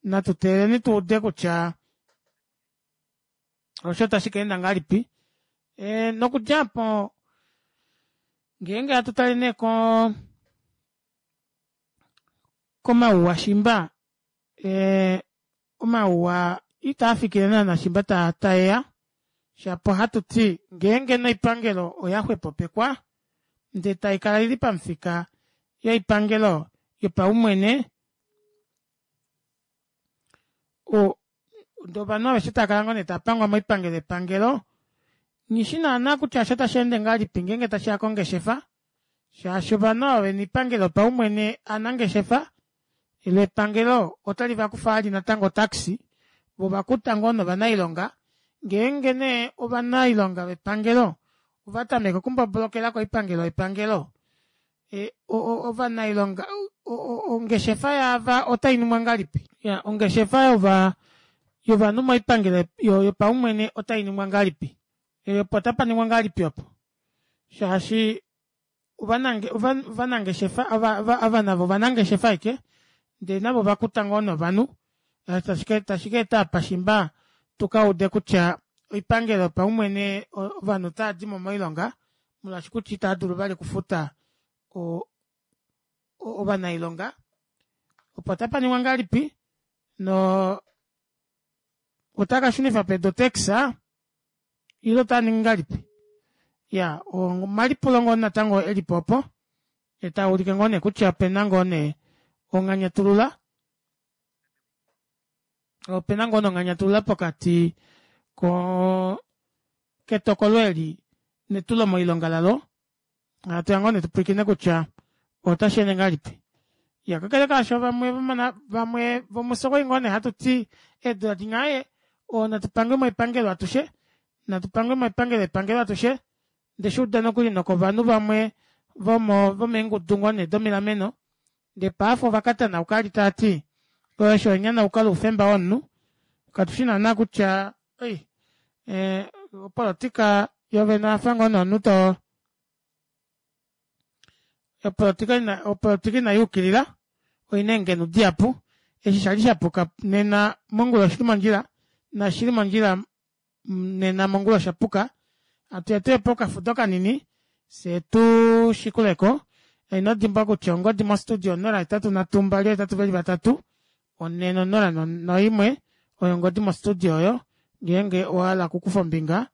natu teeleleni tuude kutya osho ota shikaenda ngahelipi nokudja aapo ngeenge hatu tale nee koo komauwa shimba omauwa itaafikile naana shimba taeya shapo ohatuti ngeenge nee oipangelo oyaxwepopekwa ndee taikala ili pamufika yoipangelo yopaumwene Ndee ovanhu aveshe taakala ngoo nee taapangwa moipangelo yepangelo, nghishi naana kutya eshi otasheende ngahelipi ngeenge tashiya kongeshefa shaashi ovanhu ava vena oipangelo yopaumwene ovanangeshefa loo epangelo otali vakufa vali natango otax voo ovakuta ngoo novanailonga ngeenge nee ovanailonga vepangelo ovatameke okumbobolokela koipangelo yepangelo ovanailonga ongeshefa yaava otainingwa ngahelipi iyaa ongeshefa yova yovanhu moipangelo yopaumwene otainingwa ngahelipi opo otapaningwa ngahelipi opo shaashi ovanangeshefa ava navo ovanangeshefa ashike ndee navo ovakuta ngoo nee ovanhu tashikeeta apa shimba tukaude kutya oipangelo yopaumwene ovanhu otavadimo moilonga molwaashi kutya itaadulu vali okufuta ovanailonga opo otapaningwa ngahelipi noo otakashunifa pedu otax ile otaaningi ngahelipi iyaa omalipulo ngoo natango elipo opo taulike ngoo nee kutya opena ngoo nee onganyatulula opena ngoo nee onganyatulula pokati koo ketokolo eli netulo moilonga lalo hatuya ngoo nee tupwilikine kutya otasheende ngahelipi iya kakele kaasho vamwe vamwe vomufye okwali ngoo nee hatuti eedula dinya aaye natu pange moipangelo atushe natu pangwe moipangelo yepangelo atushe ondeshuuda nokuli nokovanhu vamwe vomo vomeengudu ngoo nee domilameno ndee paife ovakatanauka vali taati osho enyanauko loufemba womunhu katushi naana kutya ei opolitika yoovene oyafa ngoo nee omunhu too opolitika opolitika inayuukilila oina eengenu dihapu eshi shali shapuka nena mongula oshili mondjila naashi shili mondjila nena mongula oshapuka hatuya tuye pokafudo kanini fyee tushikuleko inodimbwa kutya ongodi mo studio onola hetatu nhatu mbali oohetatu veli vatatu onhe nonola noimwe oyo ongodi mo studio oyo ngeenge owahala okukufa ombinga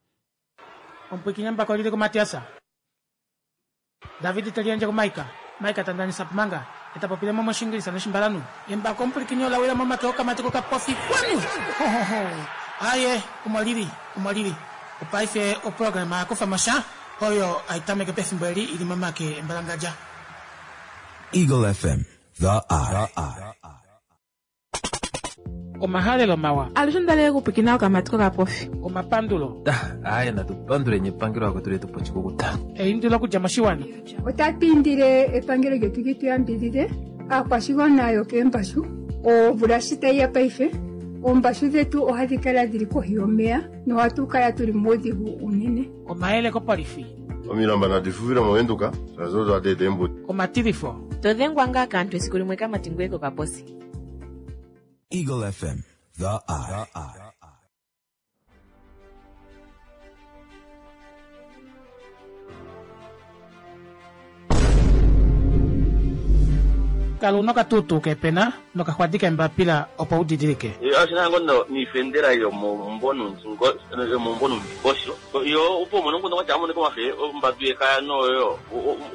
omupwiikini embako olili kumatias David teliyandje kuMaika, Maika ta ndanisa Pumanga, ye ta popile mo mOshiingilisa nOshimbalanhu. Embako omupwilikini ola wila momake okamati kokapofi. Kwanu! Ho, ho, ho! Aaye, omo li li, omo li li. Opaife oprograma ya kufa mo sha, oyo hai tameke pefimbo eli i li momake embalangadja. Eagle F M, The Eye. Omahalelo mawa. Alushe onda okupwikina okamati kokapofi. Omapandulo. Aaye natu panduleni epangelo akwetu letu pochikukuta. Eindilo okudja moshiwana. Otatu indile epangelo lyetu li tu yambidhidhe aakwashigwana yokeembashu omvula shi tayi ya paife oombashu dhetu ohadhi kala dhili kohi yomeya nohatu kala tuli muudhigu unene. Omayele kopolifi. Omilamba nadi fufile movenduka shaashi odo hadi eta eembuto. Omatilifo. To dhengwa ngaa kaantu esiku limwe kamati ngweye kokaposi. Eagle F M, The Eye. Kala una okatuutuu keepena nokaxwadi keembapila opo u didilike. Oshina ngoo niifendela yomombonundingosho yo opo umone omukundu kwatya amonike omafe ombadu yekaya noyo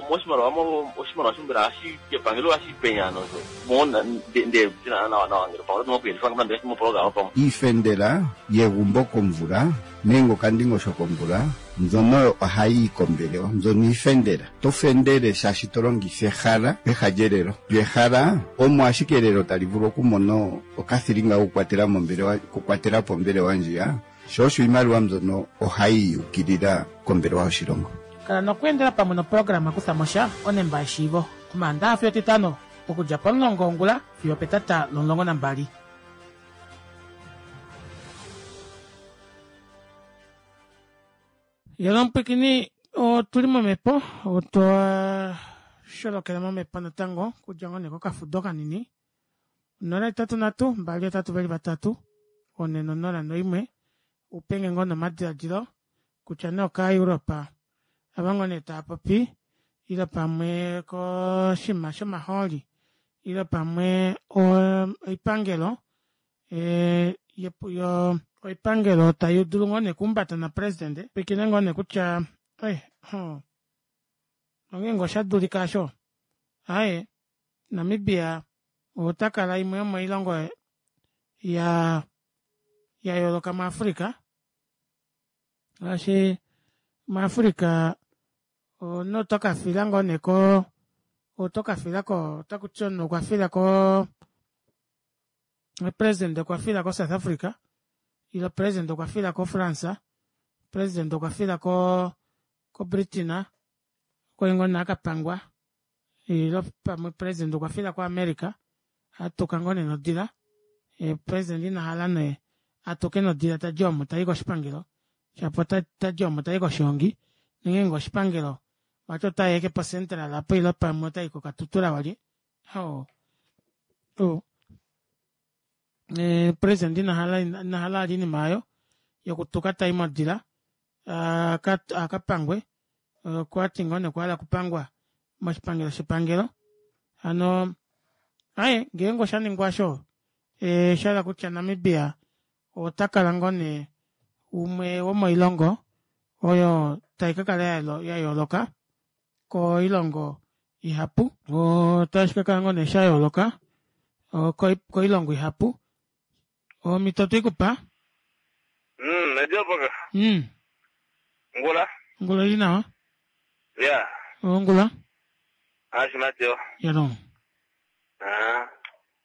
moshimaliwa oshimaliwa shombela hashi epangelo hashi penya nosho mo nde nawa nawa ngele pamwe oto moku moprograma pamwe iifendela yegumbo komvula nenge okandingosho komvula mbyono ohayi yi kombelewa mbyono iifendela to fendele shaashi to longitha ehala peha lyelelo lyo ehala omo ashike elelo tali vulu okumona okathilinga kokukwatela mombelewa okukwatela po ombelewa ndjiya sho osho iimaliwa mbyono ohayi yukilila kombelewa yoshilongo. Kala nokweendela pamwe noprograma Kutha mo sha onemba yeshiivo Omaandaxa fiyo Etitano okudja pomulongo wongula fiyo opetata lomulongo nambali. Yelo omupwikini otuli momhepo otwa sholokela momhepo natango okudja ngoo nee kokafudo kanini onola hetatu nhatu mbali hetatu veli vatatu one nonola noimwe upenge ngoo nomadiladilo kutya nee okaa Europe ava ngoo nee taapopi ile pamwe koshinima shomahooli ile pamwe oipangelo oipangelo taidulu ngoo nee okuhumbata napresident pwiikine ngoo nee kutya onghee osha dulika aasho aaye Namibia otakala imwe yomoilongo ya Ya yooloka muAfrica, shaashi muAfrica omunhu oto kafila ngoo nee ko oto kafila ko otakuti omunhu okwafila ko president okwafila ko South Africa ile president okwafila ko France, president okwafila ko ko Britain, okwali ngoo nee akapangwa, ile pamwe president okwafila ko America atuka ngoo nee nodila, president inahala nee atuke nodila tadi omo tayi koshipangelo shapo tadi omo tayi koshihongi nongeenge oshipangelo vati otayi ashike po Central apo ile pamwe otayi koKatutura walye. Oo president inahala inahala ali oinima aayo yokutuka tayi modila akapangwe, okwati ngoo nee okwahala okupangwa moshipangelo shepangelo. Hano aaye ngeenge oshaningwa aasho oshahala kutya Namibia otakala ngoo nee umwe womoilongo oyo taikakala yayooloka koilongo ihapu, otashikakala ngoo nee shayooloka koilongo ihapu. Omito twikupa. Mm, ediopoka. Mm. Ngula. Ngula ili nawa. Ya. Ngula. Ashimatio. Yalo. Ah.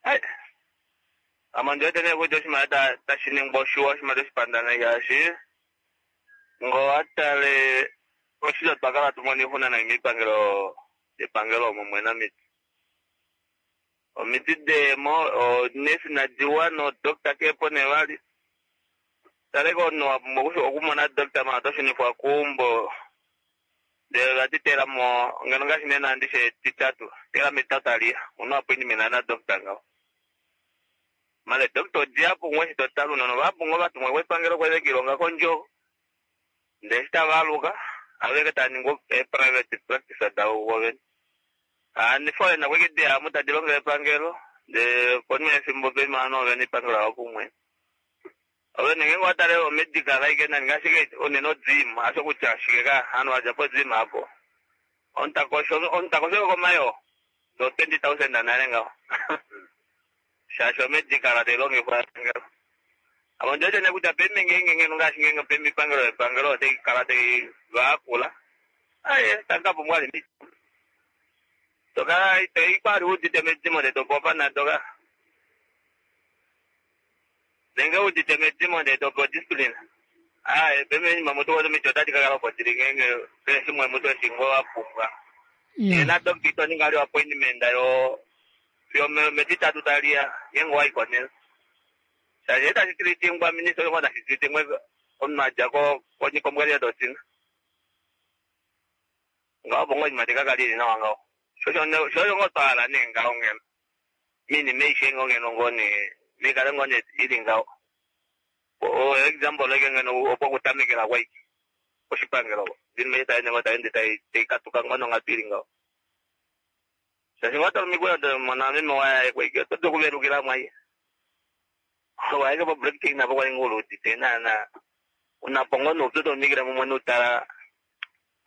Ai. Ame ndiwete nee kutya oshinima tashi ningwa oshiwa, oshinima toshipanda ngaashi ngoo watale oshili otwa kala tumona oixuna nai miipangelo yepangelo omo mwena omiti. Omiti deemo onesi nadiwa nodoctor keepo nee vali. Tale komunhu wapumbwa okumona doctor manga toshunifwa keumbo ndele vati teelamo ngeno ngaashi nena ndishe etitatu teelamo etitatu taliya una appointment na doctor ngaho. Male doctor odiyapo ngoo eshi totale ounona ovahapu ngoo vatumwa kepangelo kwali vekiilonga kondjoko ndee eshi tavaaluka aveke taaningi ee private practice davo vovene. Handi foreigner kweke dihamu tadi longele epangelo ndee konima yefimbo pema hano ovene epangelo lavo kumwe. Ovene ngeenge owatale omedical aike nani ngaashi unene ogym hasho kutya shike ka hano wadja po gym apo omutakosho omutakosho komayoo do twenty thousand nale ngaho shaashi omedical tailongifwa epangelo. Ame ondiwete nee kutya paife ngeenge ngeno ngaashi ngeenge paife oipangelo yepangelo otai kala tai vaakula aye tamukapumbwa vali omiti. Tokala toikwali udite medimo ndee topewa opanado ka nenge udite medimo ndee topewa displine. Aaye paife oinima mutu wete omiti otadi kakala opo dili ngeenge keshe shimwe mutu eshi ngoo wapumbwa. Ndee na doctor itoningi vali appointment yo fiyo metitatu taliya ngeenge owaiko nena. Shaashi eshi tashi tilitingwa minister oyo tashi tilitingwa omunhu adja kombwalile dotina. Ngaho opo ngoo oinima taikakala ili nawa ngaho. Shosho ngoo twahala nee ngaho ngeno. Moinima aishe ngoo ngeno ngoo nee naikale ngoo nee ili ngaho. Example ashike ngeno opo kutamekela kwaiki koshipangelo oko. Oinima eshi tayeende ngoo tayeende taikatuka ngoo nonghatu ili ngaho. Shaashi ngoo watale omikweyo domona meme waye kwaiki oto dulu okuvelukilamo aishe. Waike po break napo kwali ngoo uluudite naana unapo ngoo noupyu tomikile mumwe noutala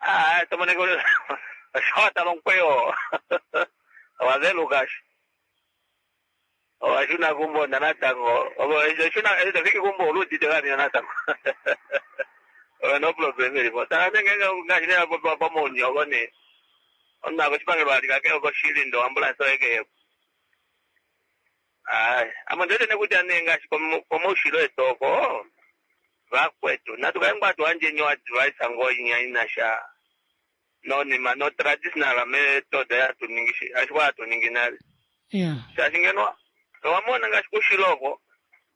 aa tomoneke osho watala omukweyo owaveluka asho. Owashuna keumbo natango eshi tofiki keumbo oluudite vali natango. No problem ilipo. Tala nee ngeenge ngaashi nee hapopiwa pomaunyuni oko nee omunhu akoshipangelo alika kehe koshili ndee oambulance oye kehepo. Aaye ame ondiwete nee kutya nee ngaashi komaushilo etu oko vakwetu natu kale ngoo hatu yandjeni o advice ngoo inya inasha nonima no traditional method hatu ningi ashike hatu ningi nale. Shaashi ngeno owamona ngaashi koushilo oko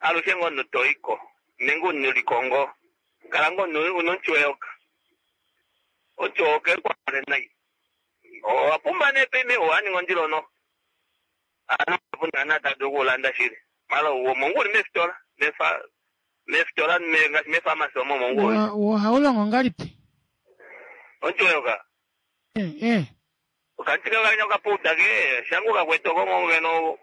alushe ngoo omunhu toiko nenge omunhu ngoo kala ngoo una omuti weyoka. Omuti weyoka ekwafele nai. Owapumba nee paife owaninga ondilo noho. Hano kapuna tadulu okuulanda shili. Mala omo ngoo uli meefitola meefitola ngaashi meepharmacy omo omo ngoo uli. Ohaulongo ngahelipi? Omuti weyoka? Eh, eh. Okamuti kenya okapouda ke shange ukakwete oko ngoo ngeno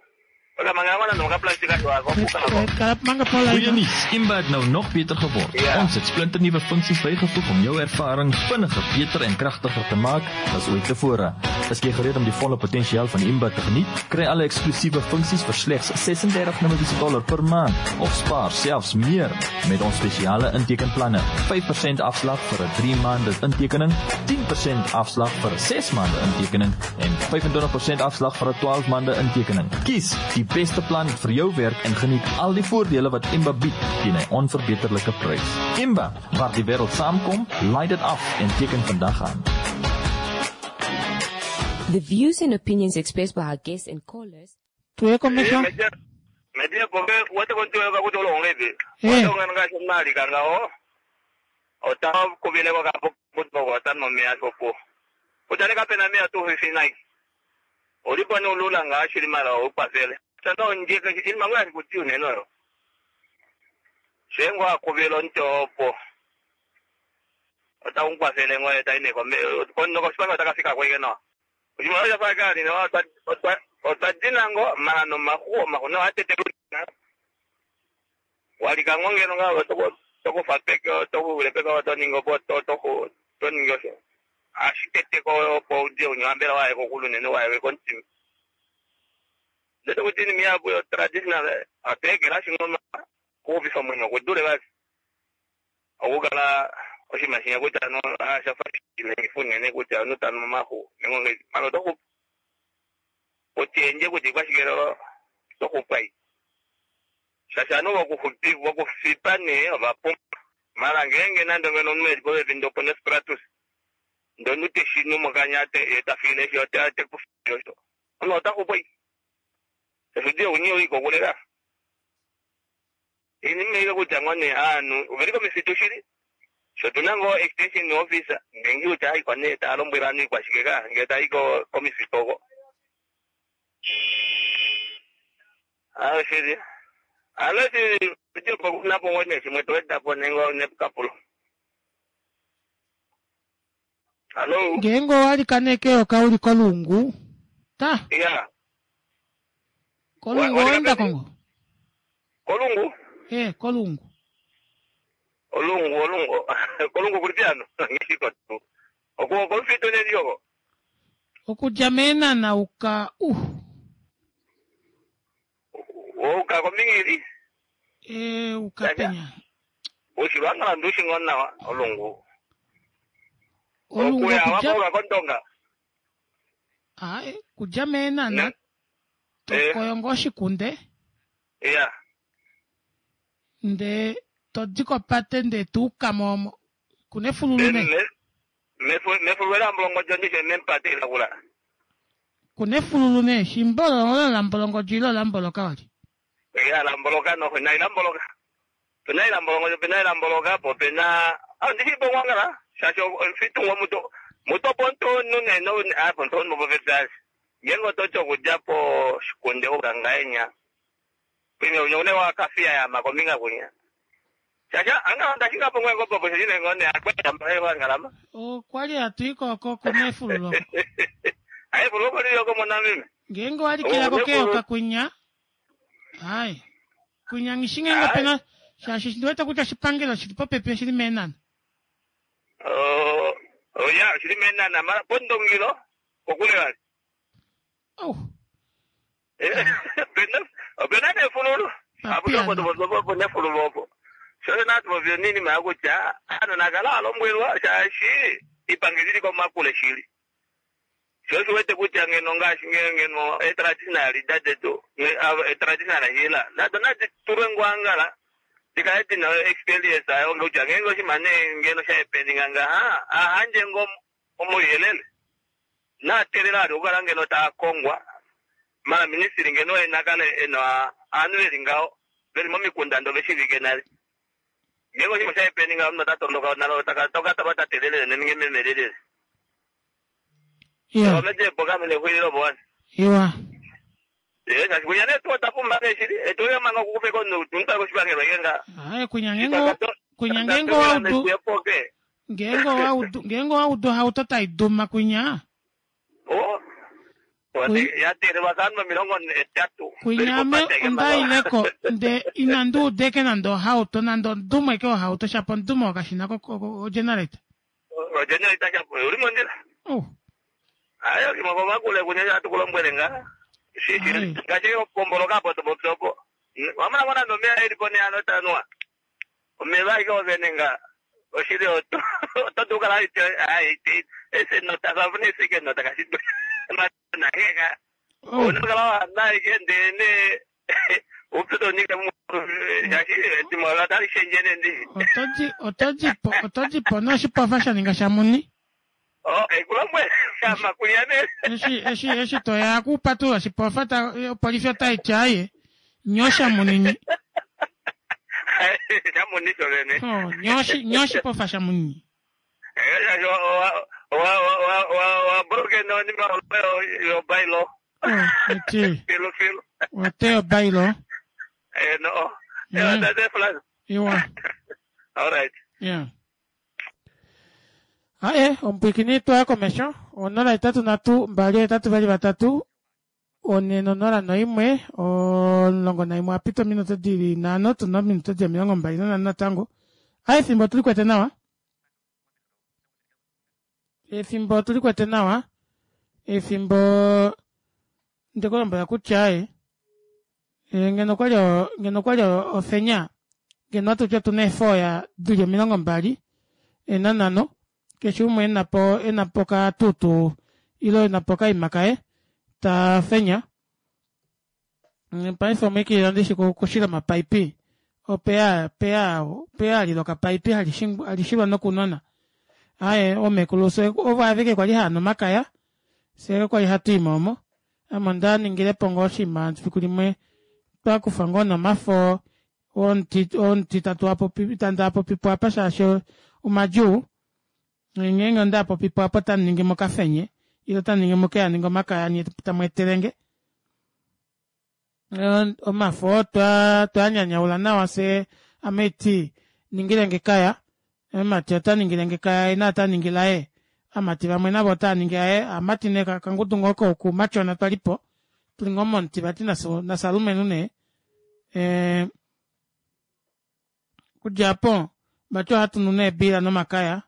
Goeie nuus, Imba het nou nog beter geword. Ja. Ons het splinternuwe funksies bygevoeg om jou ervaring vinniger, beter en kragtiger te maak as ooit tevore. Is jy gereed om die volle potensiaal van Imba te geniet? Kry alle eksklusiewe funksies vir slegs ses-en-dertig Namibiese dollar per maand of spaar selfs meer met ons spesiale intekenplanne. vyf persent afslag vir 'n drie maande intekening, tien persent afslag vir 'n ses maande intekening en vyf-en-twintig persent afslag vir 'n twaalf maande intekening. Kies die beste plan vir jou werk en geniet al die voordele wat Imba bied teen 'n onverbeterlike prys. Imba, waar die wêreld saamkom, laai dit af en teken vandag aan. The views and opinions expressed by our guests and callers. Tuye komesho. Media poke wote kontuwe ka kuti olonga ivi. Eh. Wote ongena ngaashi omaalika ngawo. Ota kuvileko kapo kuti ota nomeya sopo. Kutya ne kapena omeya tuu fifi nayi. Ulipo ni ulula ngaashi limala ukwafele. Tanda onjeka ilima ngaashi kuti unene oyo. Shengo akuvile onte opo. Ota unkwafele ngoye taine kome. Kono koshipanga otakafika kweke nawa. Oshimaliwa sha fakali ne otwa otwa dinango mala nomaxu omaxu no atete walika ngo ngeno nga toko toko fa peke toko wile peke to ningo po to to to ningo so ashitete ko po udi unyambela waye ko kulunene waye ko ntimi ndete kuti ni miyabu yo traditional atekela shingoma kuuvifa mwenyo kudule basi okukala oshimashinya kutya no ashafa shilengifunene kutya nutano mamaxu nengonge malo tokupa kutienje kuti kwashikelo tokupai shashano wakufupi wakufipa ne vapumba mara ngenge nando ngeno mwezi povepi ndopo nespratus ndonute shinu mokanya te etafile sho te te kufio sho ono otakupoi efudio unye uikokulela ini kutya ngone anu uveliko misitu shili sho tuna ngo extension officer ngengi uta ikwane ta lombwela anu ikwashikeka ngeta iko komisitu oko Ah, shili alo shili ndipo kunapo ngone shimwe toedapo nengo nepukapulo Hello. Ngeenge owalika nee keyoka uli kolungu. Ta. Yeah. Kolungu oenda kongo. Kolungu? Eh, kolungu. Olungu, olungu. Kolungu kuli piano. Ngishiko tu. Oku kolufito ne yoko. Okudja meenana uka uh. Uka komingili. Eh, uka penya. Ushilwanga ndushi ngona olungu. Olungu Okuya okudja wapo kondonga. Ah, eh, kudja meenana. Tokoyongo oshikunde. Yeah. Nde todi kopate nde tuuka mo kuna efululu ne. Mefu mefu wela mbolongo jondishe mempate ilakula. Kuna efululu ne shimbolo olo la mbolongo jilo la mboloka wali. Ya la mboloka no na ila mboloka. Pena ila mbolongo pena ila mboloka po pena ah ndishi bongwangala shasho fitu wa muto muto ponto nune no ah ponto no bovetas. Ngengo tocho kujapo shikunde ukangaenya. Pime unyone wa kafia ya makominga kunya. Shasha anga ndashinga pongwe ngopo po shine ngone akwenda mbaye wangalama. Okwali atuiko oko kuna efululu oko. Ayi fuloko liyoko mona mimi. Ngeenge walikilako keyoka kunya. Ai. Kunya ngishingengo pena shashi ndiweta kutya shipangelo shili popepi shili meenana. Oh, oh ya shili meenana mara pondongilo kokule wali. Oh. Pena pena ne fululu. Apo topo topo ne fululu opo. Shole natu bovyo nini makutya ano nakala alombwelwa shashi ipangilili kwa makule shili. Sho shiwete kutya ngeno ngaashi ngeno e traditional dadetu e traditional hila. Nato nati tulwe ngwangala. Dikale dina experience ayo ngutya ngengo shimane ngeno sha happening nga ha ahanje ngo omuyelele. Na telela ali ukala ngeno ta kongwa. Mara ministry ngeno enakale eno anu elingao veli momikunda ndo veshivike nale. Ngengo shimo sha happening nga mno tatondoka nalo taka toka tabata telele neminge memelele. Iya. Omeje boga mele huililo bwana. Iwa. Eh, shasha kunya ne tuwa tapumba ne shili. Eh, tuwe manga kukupe kono tunta ko shibangelo yenga. Ai kunya ngengo kunya ngengo waudu. Ngengo waudu ngengo waudu hauto taiduma kunya. Oh. Ya teelelwa kaanhu omilongo hetatu. Kunyame ondaileko nde inandi udeke nande ohauto nande ondumwe ke ohauto shapo ondume okashina ko generator. Ogenerator shapo uli mondjila. Oh. Ayo kimokomakule kunye atukulombwele nga. Ngaashi opomboloka apo topopi opo. Wamona ngo nande omeya elipo ne ano tanwa. Omeva aike ovene nga oshili oto oto dulu kala aite ese nota savune esike nota kashido. Nangeka. Unokala wa aike ndene upito nika mu shaashi edimo otali shendjene ndi. Otoji otojipo otojipo noshipofa sha ninga shamuni. Oh, ekulombwele amakulia ne. Eshi eshi eshi toya kupatula oshipofa ta opolifi otaiti aye nyosha munini. Shamuni shovene. Oh, nyoshi nyoshipofa shamunini. Wa wa wa wa wa broke no ni ma yo bailo. Oh, eti. Filo filo. Wate bailo. Eh no. Eh that's flash. Iwa. All right. Yeah. Aye, omupwikini twaya komesho onola hetatu nhatu mbali hetatu vali vatatu one nonola noimwe omulongo naimwe apita ominute dili nhano tuna ominute dili omilongo mbali nanhano natango. Aye, efimbo otuli kwete nawa, efimbo otuli kwete nawa, efimbo ndikulombwela kutya aye ngeno okwali ngeno okwali ofenya ngeno atuti otuna eefoya dili omilongo mbali nanhano keshe umwe enapo enapo katutu ile enapo okaima kaye tafenya. Paife omwiikilila ndishi kushila omapaipi opeya peya peya alila okapaipi halishilwa nokunona. Aaye oomekulu fye ovo aveke kwali haanu omakaya fyee kwali hatuimo omo ame ondaningilepo ngoo oshinima efiku limwe twakufa ngoo nomafo omuti omuti tatuapopi tandaapopipo apa shaashi omadjuu ngeenge ondaapopipo apo otamuningi mokafenye ile otamuningi mukeaninge omakaya nyee tamweetelenge omafo twaanyanyaula nawa fyee ame haiti ningilenge ekaya omumati otaningilenge ekaya yee naye otaningi laye ovamati vamwe navo otaaningi aye ovamati nee okangudu ngoo koumatyona twalipo tuli ngoo momuti vati nasalumenhu nee ee okudja aapo vati ohatunu nee eebiila nomakaya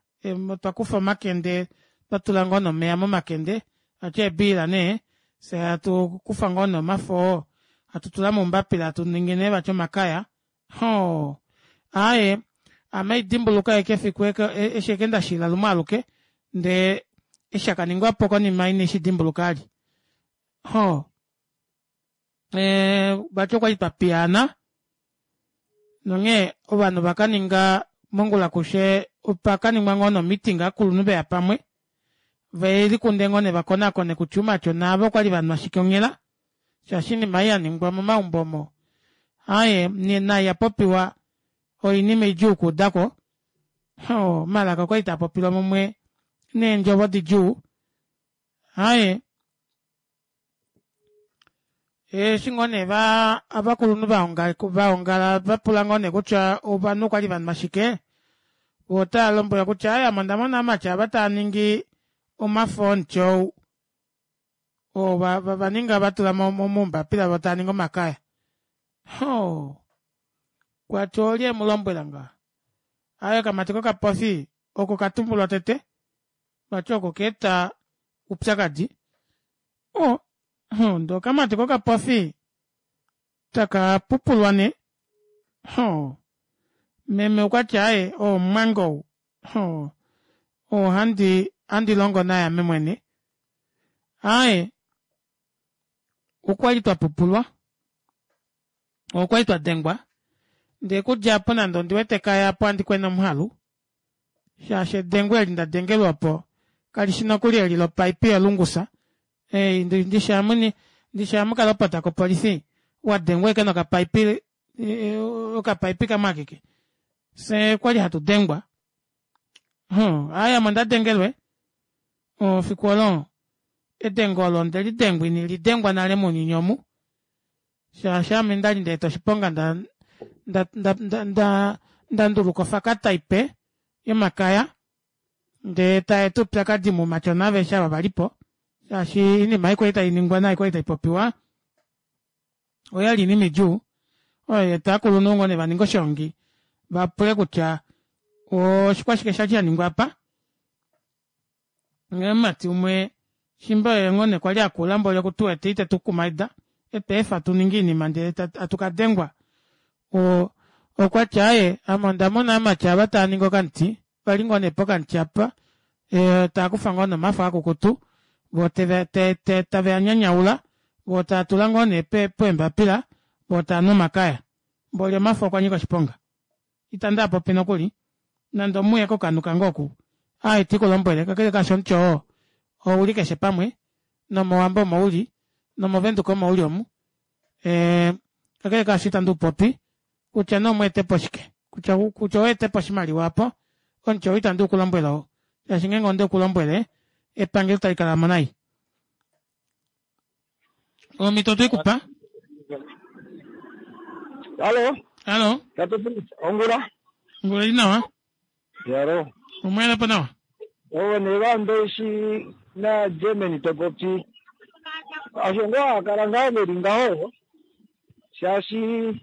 twakufa omakende twatula ngoo nee omeva momakende vati eebiila nee fyee hatukufa ngoo nee omafo oo hatutula moumbapila hatuningi nee vati omakaya hoo aaye ame haidimbuluka ashike efiku eshi ashike ndashila lumwe aluke ndee eshi shakaningwapo konima ine shidimbuluka vali hoo ee vati okwali twapiyaana nonghee ovanhu ovakaninga mongula kushe opakaningwa ngoo nee o-meeting ovakulunhu veya pamwe velikunde ngoo nee vakonakone kutya oumatyona aava okwali vanwa shike onghela shaashi oinima ei yaningwa momaumbo omo aaye naai yapopiwa oinima idjuu okuudako oo omalaka okwali taapopilwa mumwe neendjovo didjuu aaye eshi ngoo nee ovakulunhu vaongala vapula ngoo nee kutya ovanhu okwali vanwa shike voo otavalombwelwa kutya aaye ame ondamona ovamati ava taaningi omafo omuti ou oo vaninga vatula moumbapila voo taaningi omakaya hoo kwati olye emulombwela ngaho aaye okamati kokapofi oko katumbulwa tete vati oko kaeta oupyakadi oo ndee okamati kokapofi takapupulwa nee hoo meme okwati aaye oo omumwange ou hoo oo handi handilongo naye ame mwene aaye okwali twapupulwa okwali twadengwa ndee okudja aapo nande ondiwete ekaya aapo ohandi kwena omuhalu shaashi edengo eli ndadengelwa opo kalishi nokuli eli lopaipi yolungusa ndishi amuni ndishi amukalopota kopolifi wadengwa ashike nokapaipi okapaipi kamwe akeke fyee okwali hatu dengwa aaye ame ondadengelwe efiku olo edengo olo ondelidengwa inelidengwa nale mounyuni omu shaashi aame ndali ndaeta oshiponga nda nda nda ndanduluka ofakata ipe yomakaya ndee taeta oupyakadi moumatyona aveshe ava valipo Shaashi oinima ei kwali tainingwa naai kwali taipopiwa oyali oinima idjuu oyo yaeta ovakulunhu ngoo nee vaninge oshoongi vapule kutya oshikwashike shali shaningwa aapa. Nghee omumati umwe shiimba oye ngoo nee kwali akula mboli okutuwete itetukumaida etweefa tuninge oinima ndee hatu kadengwa oo okwati aaye ame ondamona ovamati aava taaningi okamuti vali ngoo nee pokamuti aapa taakufa ngoo nee omafo akukutu voo taveanyanyaula voo taatula ngoo nee peembapila voo taanu omakaya mboli omafo okwanyika oshiponga ita ndaapopi nokuli nande omuye kokanhu kange oku aaye itiikulombwele kakele kaasho omuti oo ouli keshe pamwe nomowambo omo uli nomovenduka omo uli omu ee kakele kaasho ita ndiupopi kutya nee omweetepo shike kutya oweetepo oshimaliwa aapo omuti ou ita ndiukulombwele ou shaashi ngeenge ondeukulombwele epangelo otalikalamo nai. Omito otweikupa. Halo. Halo. Ongula. Ongula ili nawa. Yaro. Omweelepo nawa. Owo nevambeshi na Germany topopi. Osho ngoo hakala ngaho veli ngaho shaashi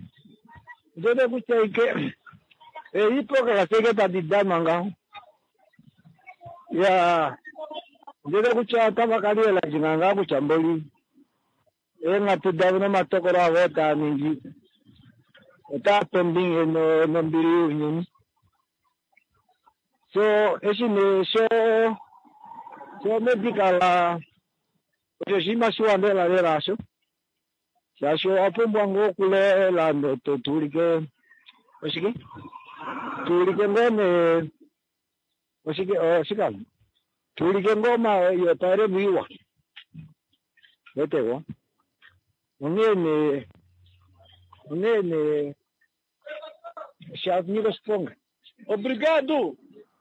ndele kutya ike eipoka kaseke tadi danwa ngaho ya ndele kutya otava kaliela jinga ngaa kutya mboli eenghatu davo nomatokolo avo otaa ningi otaa tombinge nombili younyuni. So eshi nee sho sho medical osho oshinima shiwa lela lela asho shaashi owa pumbwa ngoo okulela tuulike oshike tuulike ngoo nee oshike oshikalo tuulike ngoo yopaelemu iwa wetewa onghee nee onghee nee shanyika oshiponga. Obrigado.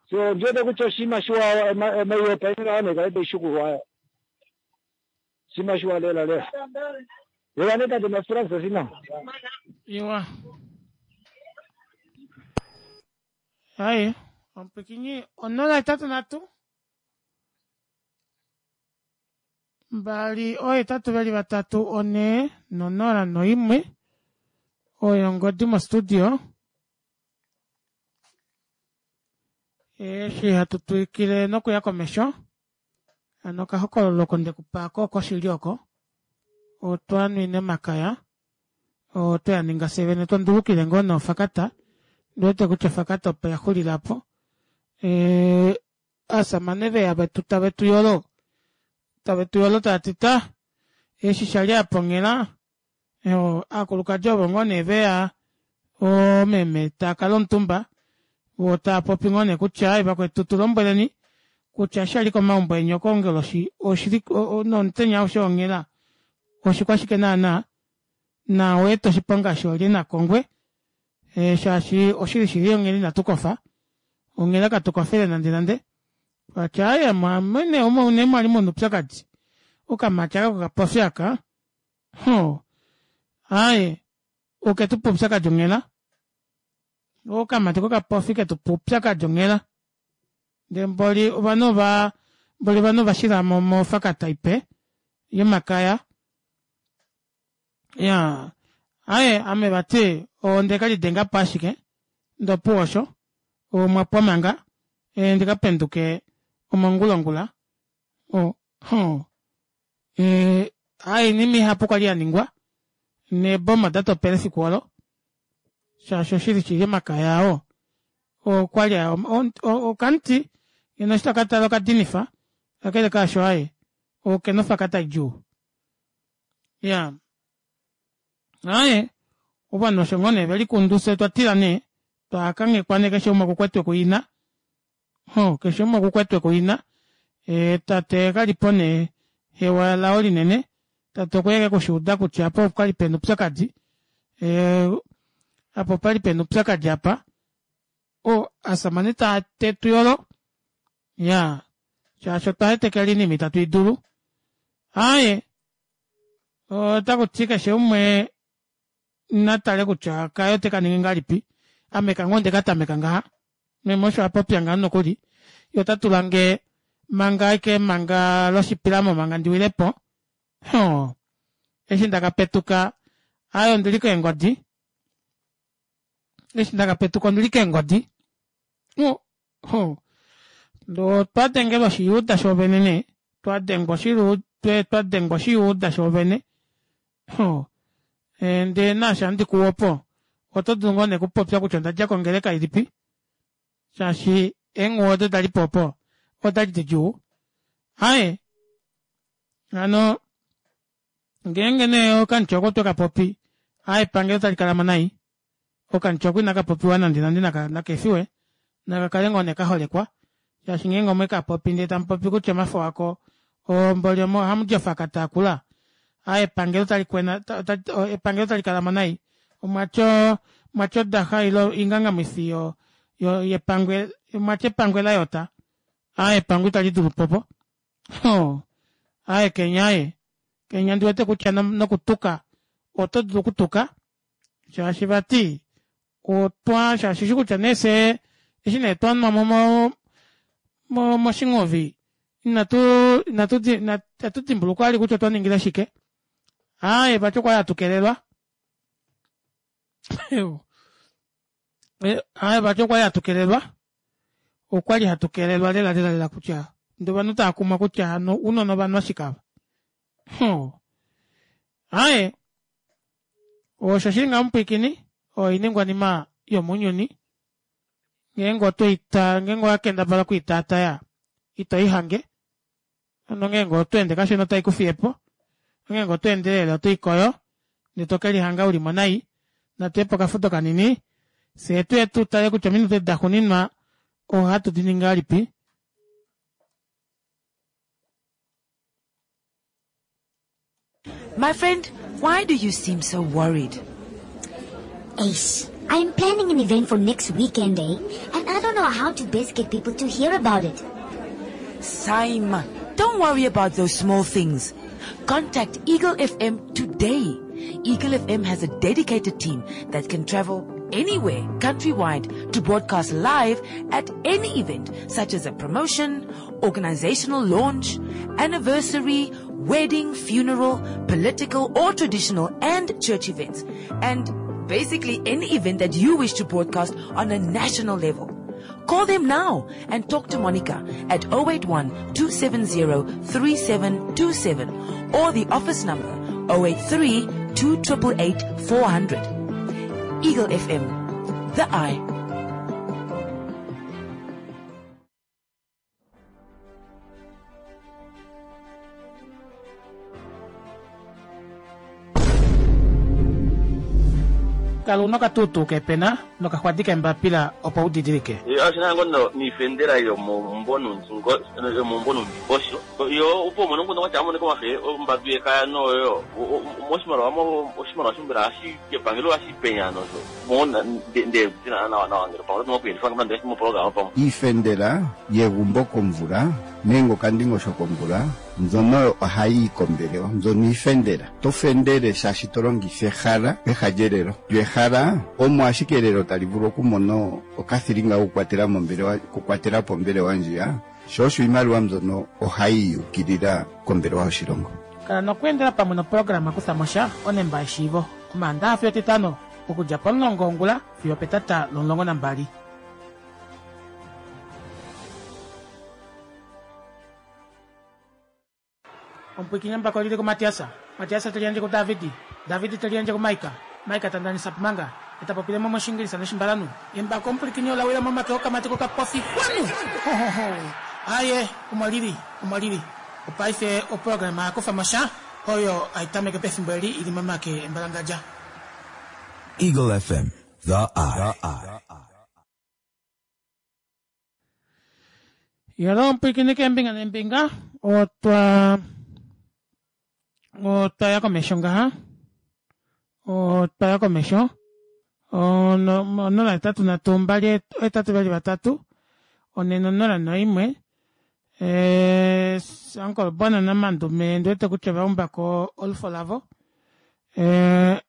So ndiwete kutya oshinima shiwa maiyopaenela nekale taishukulwa oshinima shiwa lela lela. Lela nee tate Mafrance sina. Iwa. Hai, omupwikinyi onola hetatu nhatu mbali oohetatu veli vatatu onhee nonola noimwe oyo ongodi mo studio. Eshi hatu twikile nokuya komesho hano okahokololo oko ndekupa oko okoshili oko otwanwine omakaya otweaninga fyee vene twandulukile ngoo nee ofakata ndiwete kutya ofakata opo yaxulila aapo ee ovashamane veya vetu tave tuyolo tave tuyolo taati ta eshi shali apa onghela aakulukadi ovo ngoo nee veya oomeme taakala omutumba voo taapopi ngoo nee kutya vakwetu tulombweleni kutya eshi shali komaumbo eni okonguloshi oshili nomutenya aushe wonghela oshikwashike naana na oweeta oshiponga shoolye nakongwe shaashi oshili shili onghela ina tukofa onghela katukofele nande nande vati aaye mwene omo mwali muna oupyakadi okamati aka kokapofi aka ho aaye oketupa oupyakadi onghela okamati kokapofi ketupa oupyakadi onghela ndee mboli ovanhu ova mboli ovanhu ovashilamo mofakata ipe yomakaya iyaa aaye ame vati ondekalidengapo ashike ndee opuwo osho omwapwa manga ndikapenduke omongula ongula o aaye oinima ihapu kwali yaningwa neeboma odatopela efiku olo shaashi oshili shili omakaya oo okwali okamuti ngeno eshi tokatala okadinifa kakele kaasho aaye okena ofakata idjuu. Iyaa aaye ovanhu osho ngoo nee velikundu fyee otwatila nee twakanghekwa nee keshe umwe okukwetwe kuina ho keshe umwe okukwetwe kuina tate kalipo nee hewa lao linene tate okweya ashike okushuuda kutya apa opwali pena oupyakadi apa opali pena oupyakadi apa o ovashamane tetuyolo iyaa shaashi otwa hetekela oinima ita tuidulu aaye otakuti keshe umwe natale kutya kaye otekaningi ngahelipi ame kange ondekatameka ngaha meme osho apopya ngaho nokuli yee ota tulange Manga aike manga loshipilamo manga ndiwilepo. Ho. Eshi ndakapetuka aaye ondili keengodi. Eshi ndakapetuka ondili keengodi. Oh, ho. Otwa dengelwa oshiyuuda shoovene nee twadengwa twadengwa oshiyuuda shoovene. Ho. Ndee naashi handi kuwu opo oto dulu ngoo nee okupopya kutya ondadja kongeleka ilipi shaashi eenghuwo odo dalipo opo odali didjuu. Aaye hano ngeenge nee okamuti oko twekapopi aaye epangelo otalikalamo nai okamuti oko inakapopiwa nande nande nakeefiwe nakakale ngoo nee kaholekwa shaashi ngeenge omwekapopi ndee tamupopi kutya omafo ako mboli ohamudi ofakata akula aaye epangelo otalikwena epangelo otalikalamo nai omwatya omwatya odaxa ile oingangamwifi yo yepangwe omwatya epangwe layota aaye epangwe italidulupo opo hoo aaye kenya aaye kenya ndiwete kutya nokutuka oto dulu okutuka shaashi vati otwa shaashi ushi kutya nee fyee eshi nee twanwamo mo moshingovi inatu inatu inatu dimbulukwa vali kutya otwa ningile shike aaye vati okwali hatukelelwa aaye vati okwali hatukelelwa okwali hatukelelwa lela lela lela kutya ndee ovanhu taakumwa kutya hano ounona ovanhu ashike ava hoo aaye osho shili ngaho mupwiikini oiningwanima yomounyuni ngeenge otweita ngeenge owakendabala okwiitaataya ito ihange nongeenge otweende kashona otai kufiyepo ongeenge otweendelele otoikoyo ndee tokelihanga ulimo nai. Natuyepo okafudo kanini fyee tuye tutale kutya ominute daxuuninwa ohatu diningi ngahelipi. My friend, why do you seem so worried? Ace, I'm planning an event for next weekend, eh? And I don't know how to best get people to hear about it. Saima, don't worry about those small things. Contact Eagle F M today. Eagle F M has a dedicated team that can travel anywhere countrywide to broadcast live at any event, such as a promotion, organizational launch, anniversary, wedding, funeral, political or traditional and church events, and basically any event that you wish to broadcast on a national level. Call them now and talk to Monica at oh eight one, two seven zero, three seven two seven or the office number oh eight three, two triple eight, four hundred. Eagle F M, the eye. Kala una okatuutuu kepena nokaxwadi kembapila opo udidilike. Ashina ngono niifendela yomombonundingosho yo upo mono ngono wacha amone komafe ombadu yekaya noyo moshimaliwa mo oshimaliwa shimbira ashi kepangelo ashi penya nozo mona nde tina na na ngero pamwe no kuyelifa ngamba mo program pamwe iifendela yegumbo komvula nenge okandingosho komvula mbyono ohayi kombelewa mbyono iifendela to fendele shaashi to longitha ehala peha lyelelo lyo ehala omo ashike elelo tali vulu okumona okathilinga okukwatela mombelewa okukwatela po ombelewa ndjiya sho osho iimaliwa mbyono ohayi yukilila kombelewa yoshilongo. Kala nokweendela pamwe noprograma kutha mosha onemba yeshiivo omaandaxa fiyo etitano okudja pomulongo wongula fiyo petata lomulongo nambali. Omupwiikini mbako lili kuMatiasa. Matiasa teliandje kuDavidi. Davidi teliandje kuMaika. Maika tandanisa pumanga. Etapopilemo moshingilisa noshimbalanu. Embako omupwiikini olawila momake okamati kokapofi kwanu. Aye, omo lili, omo lili. Opaife oprograma yakufa mosha oyo aitameke pefimbo eli ili momake embalangadja. Eagle F M, the eye. Yolo omupwiikini keembinga neembinga otwa otwaya komesho ngaha otwaya komesho onola etatu nhatu mbali etatu vali vatatu onene onola noimwe Uncle Bona naMandume ndiwete kutya vaumbako olufo lavo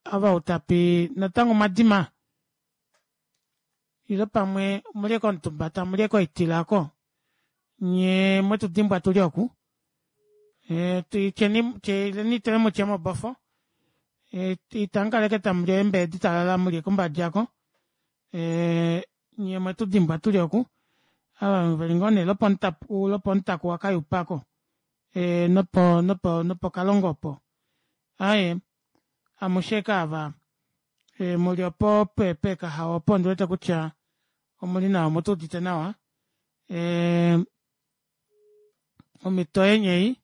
ava utapi natango mwadima ile pamwe mulye komutumba tamulye koitila ako Nye mwetu dimbwa tuli oku. Tyeni tele mutye mobofo. Itamukaleke tamuli eembe ditalala muli kombadi aako. Nyee omwetu dimbwa tuli oku ava veli ngoo nee lwopomutaku wakayupa aako nopo nopo nopokalongo opo aaye amushe aike aava muli opo pekahao opo ondiwete kutya omuli nawa omutuudite nawa ee omito yeni ei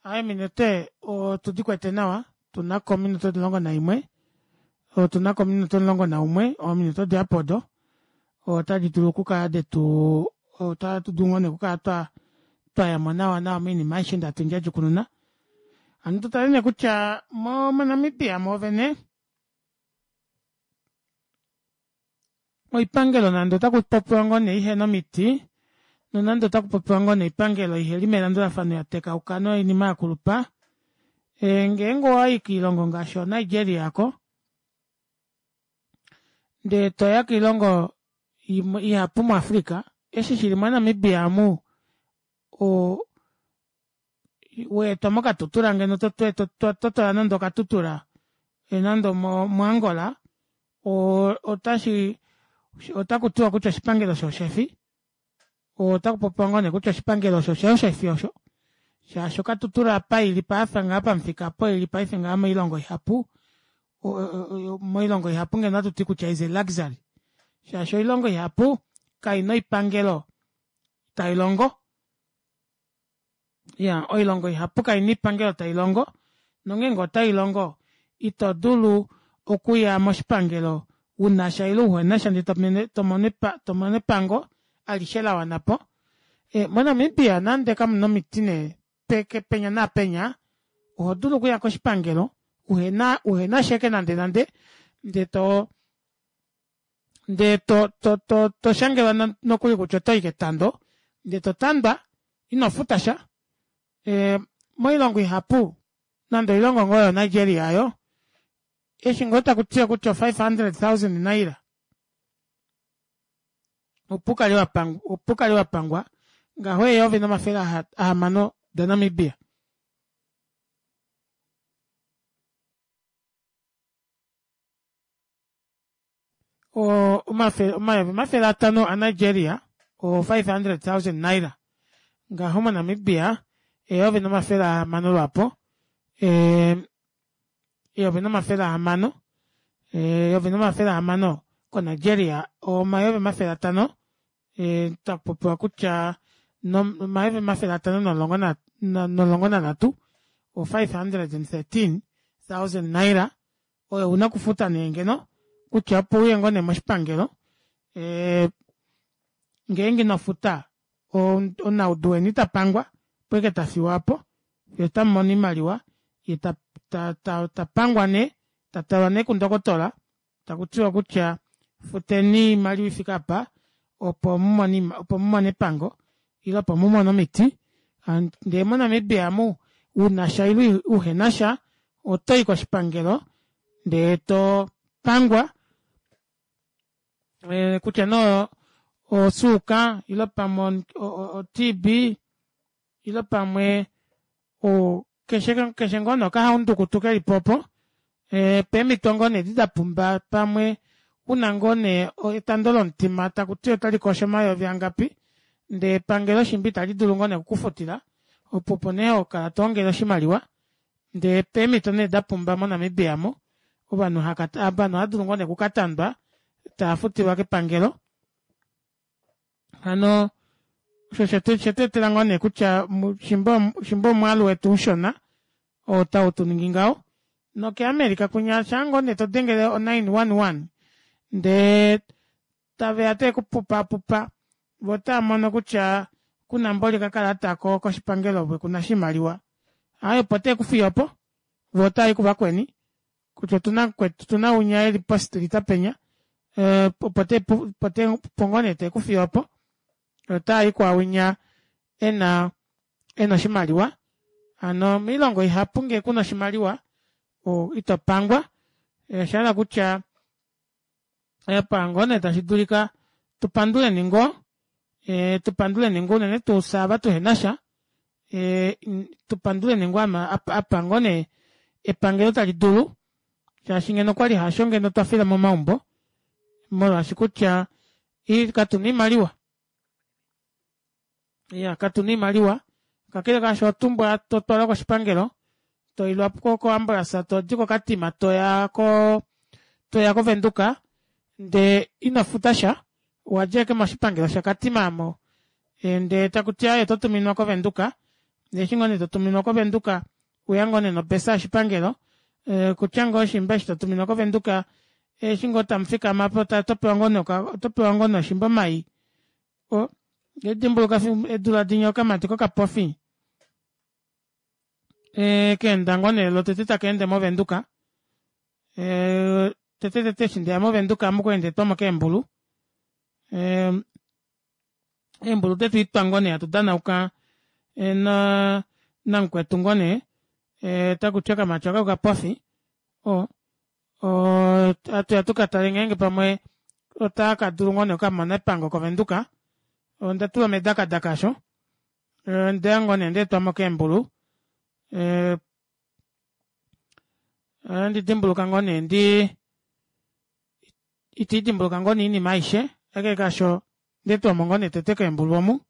aaye ominute otudikwete nawa otunako ominute omulongo naimwe otunako ominute omulongo naumwe ominute odihapu odo otadi dulu okukala detuu ota tudulu ngoo nee okukala twayamo nawa nawa moinima aishe ei hatu ndjadjukununa. Hano tutale nee kutya mo monamibia mwoovene oipangelo nande otakupopiwa ngoo nee ihena omiti nonande otakupopiwa ngoo nee oipangelo iheli melandulafano yatekauka noinima yakulupa ngeenge owayi koilongo ngaashi oo nigeria aako ndee toya koilongo ihapu mu africa eshi shili mo namibia aamu oo weetwa mokatutura ngeno totola nande okatutura nande omo angola oo otashi otakutiwa kutya oshipangelo shooshefi otakupopiwa ngoo nee kutya oshipangelo osho oshoo shefi osho shaashi okatutura apa ili paife ngaha pamufika opo ili paife ngaha moilongo ihapu moilongo ihapu ngeno ohatuti kutya is a luxury shaashi oilongo ihapu kaina oipangelo tailongo iyaa oilongo ihapu kaina oipangelo tailongo nongeenge otailongo ito dulu okuya moshipangelo unasha ile uhenasha ndee tomono epango alishe lawanapo monamibia nande kamuna omiti nee penya naapenya ohodulu okuya koshipangelo uhena uhenasha ashike nande nande ndee too ndee to- to toshangelwa nokuli kutya otoyi ketando ndee totandwa inofutasha moilongo ihapu nande oilongo ngoo yoo nigeria aayo eshi ngoo takutiwa kutya o five hundred thousand naira opo ukale wapangwa opo ukale wapangwa ngaho eyovi nomafele ahamano da namibia oo omayovi omafele atanho a nigeria oo five hundred thousand naira ngaho mo namibia eyovi nomafele ahamano lwaapo ee eyovi nomafele ahamano eyovi nomafele ahamano ko nigeria omayovi omafele atanho takupopiwa kutya omayovi omafele atanho nomulongo nomulongo nanhatu o five hundred and thirteen thousand naira oyo una okufuta nee ngeno kutya opo uye ngoo nee moshipangelo ngeenge inofuta omunaudu weni itapangwa opo ashike tafiwa aapo fyee otamumono oimaliwa yee tapangwa nee tatalwa nee kundokotola takutiwa kutya futeni oimaliwa ifike aapa opo mumone epango ile opo mumone omiti ndee mo namibia aamu unasha ile uhenasha otoyi koshipangelo ndee topangwa kutya nee osuuka ile pamwe o tb ile pamwe keshe ngoo nee okahaundukutu kelipo opo peemito ngoo nee edi dapumba pamwe una ngoo nee etando lomutima takuti otalikosho omayovi angapi ndee epangelo shimba ita lidulu ngoo nee okukufutila opo opo nee hokala toongele oshimaliwa ndee peemito nee dapumba mo namibia aamu ovanhu ohaadulu ngoo nee okukatandwa taafutilwa kepangelo hano osho oshetweetela ngoo nee kutya shimba omwaalu wetu ushona oo tautuningi ngaho noke america kwinya shaangoo nee todengele o nine one one ndee taveya teekupupaapupa voo otaamono kutya kuna mboli okakalata koshipangelo ove kuna oshimaliwa aaye opo tekufiye opo voo otaayi kuvakweni kutya otuna mukwetu otuna winya eli po street penya opo ngoo nee tekufiye opo otaayi kwaawinya ena ena oshimaliwa hano moilongo ihapu ngee kuna oshimaliwa itopangwa oshahala kutya apa ngoo nee tashidulika Tupanduleni ngoo, e, tupanduleni ngoo unene tuu fye ava tuhenasha, e, tupanduleni ngoo ama apa ngoo nee epangelo tali dulu, shaashi ngeno okwali hasho ngeno twafila momaumbo, molwaashi kutya katuna oimaliwa. Iya, katuna oimaliwa, kakele kaasho otumbwa totwalwa koshipangelo, toilwa koambulasa todi koKatima toya ko toya koVenduka ndee ino futa sha, owadja ashike moshipangelo shaKatima aamo ndee takuti aaye oto tuminwa koVenduka, ndee eshi ngoo nee totuminwa koVenduka weya ngoo nee nobesa yoshipangelo okutya ngoo shimba eshi totuminwa koVenduka eshi ngoo tamufikama aapo otopewa ngoo nee otopewa ngoo nee oshimba omai. Ohandi dimbuluka eedula dinya okamati kokapofi kaenda ngoo nee lwotete takaende movenduka, tete tete eshi ndeya movenduka ame okwali ndeetwamo keembulu, eembulu detwiitwa ngoo nee hatu danauka namukwetu ngoo nee takuti okamati aaka okapofi oo hatuya tukatale ngeenge pamwe otakadulu ngoo nee okukamona epango kovenduka, onda tulwa medakadaka aasho ondeya ngoo nee ndeetwamo keembulu ohandi dimbuluka ngoo nee ndii ita ndidimbuluka ngoo nee oinima aishe kakele kaasho ondeetwamo ngoo nee tete keembulu omu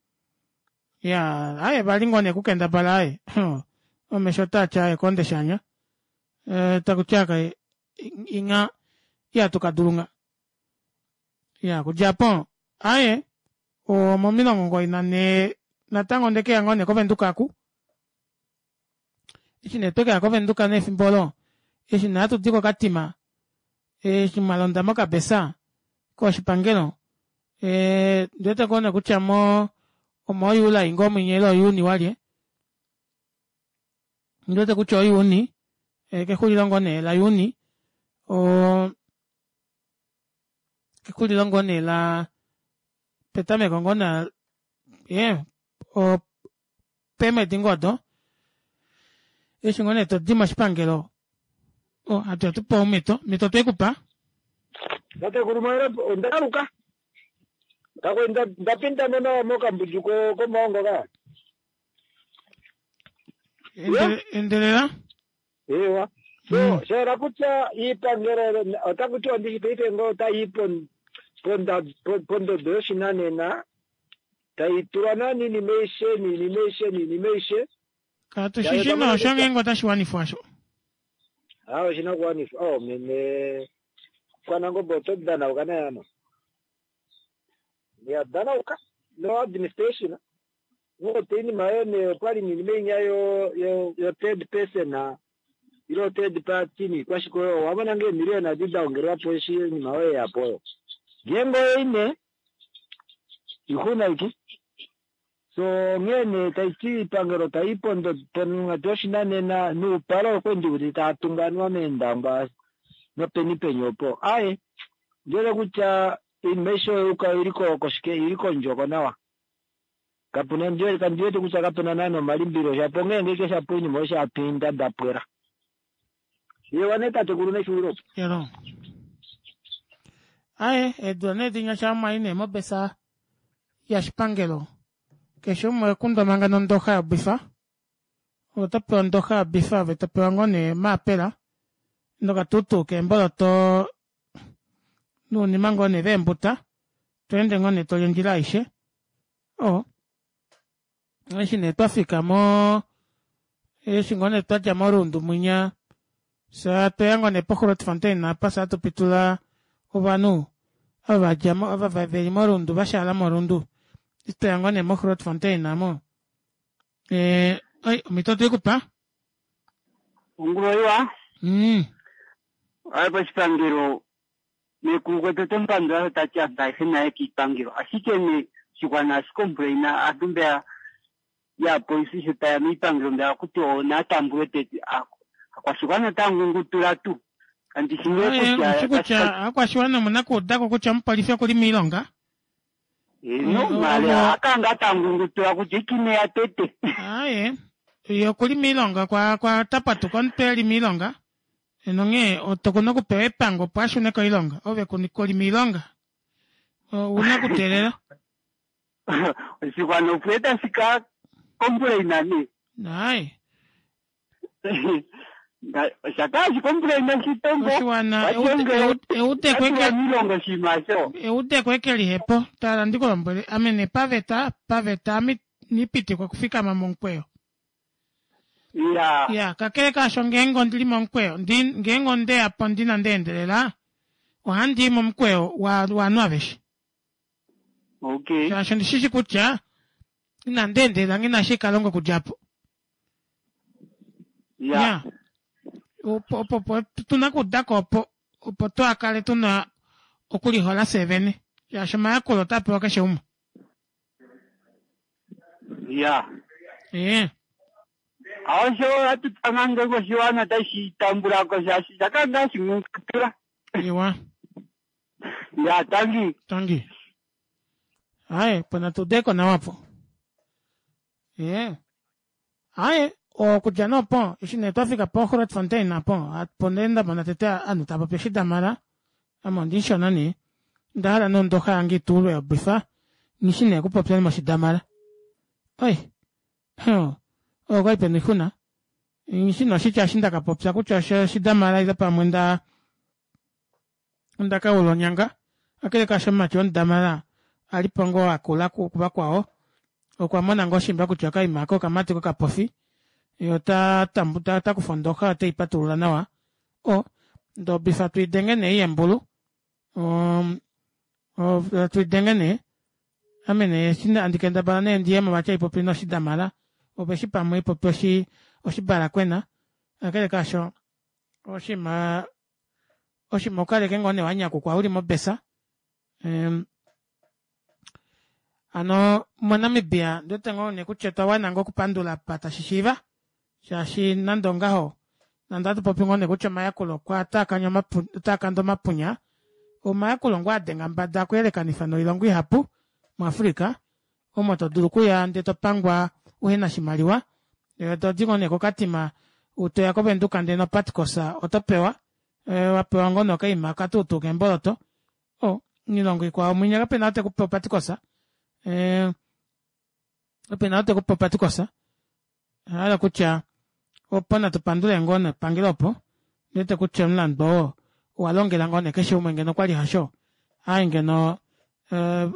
iyaa aaye vali ngoo nee okukendabala aaye omesho otaati aaye koonde shaanya takuti aaye inya ihatu kadulu ngha. Iyaa okudja aapo aaye omomilongo omugoyi nanhee natango ondekeya ngoo nee kovenduka aaku, eshi nee twekeya kovenduka nee efimbo oolo eshi nee hatudi kokatima eshi mwalonda mokabesa koshipangelo ondiwete ngoo nee kutya moo omo july ngoo mwinya ile o juni walye ondiwete kutya o juni kexulilo ngoo nee la juni oo kexulilo ngoo nee laa petameko ngoo nee ee peemwedi ngoo odo eshi ngoo nee todi moshipangelo hatuya tupewa omito, omito otwekupa. Tatekulu ondaaluka ndapindamo nawa mokambundju komaongo ka. Endelela. Ewa. So shayela kutya iipangelo otakuti ondishi paife ngoo otayi pondodo yoshinanena tayi tulwa nani iinima aishe niinima aishe niinima aishe. Katushishi noosho ngeenge otashi wanifwa osho. Aa oshina okuwanifwa oh meme Kwanangombe oto danauka naye ano. Ya danauka no administration ngote iinima yoye nee okwali niinima inya yo yo third person ile third party niikwashike oyo owamona ngoo eemiliyona edi daongelwapo eshi oinima oyo yeyapo oyo. Ngeenge oyo ine ixuna ashike. So onghee nee taiti oipangelo tayi ponghatu yoshinanena noupale okwali ndiwete tava tungu anuwa meendangwa nopeni peni opo. Aaye ondiwete kutya oinima aishe oyo oili koshike oili kondjoko nawa. Kapuna kandiwete kutya kapuna naana omalimbililo shapo onghee ngenge shapo oinima oyo shapinda dapwela. Yewa nee tatekulu nexulilo opo. Elo. Aaye eedula nee dinya shaa mwai nee mobesa yashipangelo keshe umwe okundwa manga nondoxa yobifa, ove otopewa ondoxa yobifa ove topewa ngoo nee omaapela nokatutu keemboloto nounima ngoo nee veembuta tweende ngoo nee toli ondjila aishe oo eshi nee twafika moo eshi ngoo nee twadja morundu mwinya fyee otweya ngoo nee po grootfontein aapa fyee hatu pitula ovanhu ava vadjamo ava veli morundu vashaala morundu eshi tweya ngoo nee mo grootfontein aamo omito otwekupa. Ongulo iwa. Mm. Aye poshipangelo meekulu gwetu ote mu pandula sho tati aantu ayehe naye kiipangelo ashike nee oshigwana ohashi complaina aantu mbeya yaapolisi sho tayeya miipangelo mbeya akuti naa tambulwe tete aakwashigwana otaya ngungutula tuu kandi shi nee kutya Oshi kutya aakwashiwana omuna okuudako kutya omupolifi okuli miilonga. Eeno maala ohaya kala ngaa taya ngungutula kutya iki ineya tete. Aaye ye okuli miilonga kwa kwa tapatuka omutwe eli miilonga nonghee okuna okupewa epango opo ashune koilonga ove kuli miilonga. Ouna okuteelela. Oshigwana opo tashi ka complaina ne. Naai. Osha kala shi complaina shitombo. Oshiwana miilongo oshinima sho. Eudeko eke lihepo tala ndikulombwele ame ne paveta paveta ame nipitikwa okufikama momukweyo. Ya. Ya, kakele kaasho ngeenge ondili momukweyo, ndi ngeenge ondeya po ndina ndeendelela, ohandi i momukweyo wa waanhu aveshe. Okay. Shaashi ondishishi kutya inandi endelela nghi na eshi kalonga okudja po. Ya. Ya. Opo opo opo tuna okuudako opo opo twakale tuna okulihola fye vene. Shaashi omayakulo otaa pewa keshe umwe. Ya. Ee. Osho hatu tanga ngenge oshiwana tashi tambula ko shaashi shaka ngaa shimukatula. Iwa. Ya, tangi. Tangi. Aye, pona tudeko nawa po. Ee. Aye, okudja nee opo eshi nee twafika po Grootfontein apo opo nee ndamona tete ovanhu tava popi oshidamala ame ondishona nee onda hala nee ondoxa yange itulwe yobifa nghishi nee okupopya moshidamala oi huh, oyo kwali pena oixuna nghishi nee oshitya eshi ndakapopya kutya oshidamala ile pamwe nda ondakaula onyanga kakele kaasho omumati womudamala alipo ngoo akula kuvakwao okwa mona ngoo shimba kutya okaima aka okamati kokapofi ye ota tambu ota kufa ondoxa otei patulula nawa o ndee obifa tuidenge nee yembulu um, tuidenge nee ame nee eshi handi kendabala nee ndiyemo vati haipopi noshidamala opo eshi pamwe ipopi oshi oshibalakwena kakele kaasho oshinima oshinima ukaleke ngoo nee wanyakukwa uli mobesa um, hano moNamibia ndiwete ngoo nee kutya otwa wana ngoo okupandula apa tashi shiiva shaashi nande ongaho nande ohatu popi ngoo nee kutya omayakulo okwa otaakanda omapunya omayakulo ngoo adenga mbada okuyelekanifa noilongo ihapu muAfrica omo todulu okuya ndee topangwa uhena oshimaliwa todi ngoo nee kokatima toya kovenduka ndee nopatcos oto pewa wapewa ngoo nee okaima okatuutuu keemboloto o moilongo ikwao mwinya kapena ou tekupe opatcos kapena ou tekupe opatcos ohahala kutya opo natu pandule ngoo nepangelo opo ndiwete kutya omulandu oo owalongela ngoo nee keshe umwe ngeno okwali hasho aaye ngeno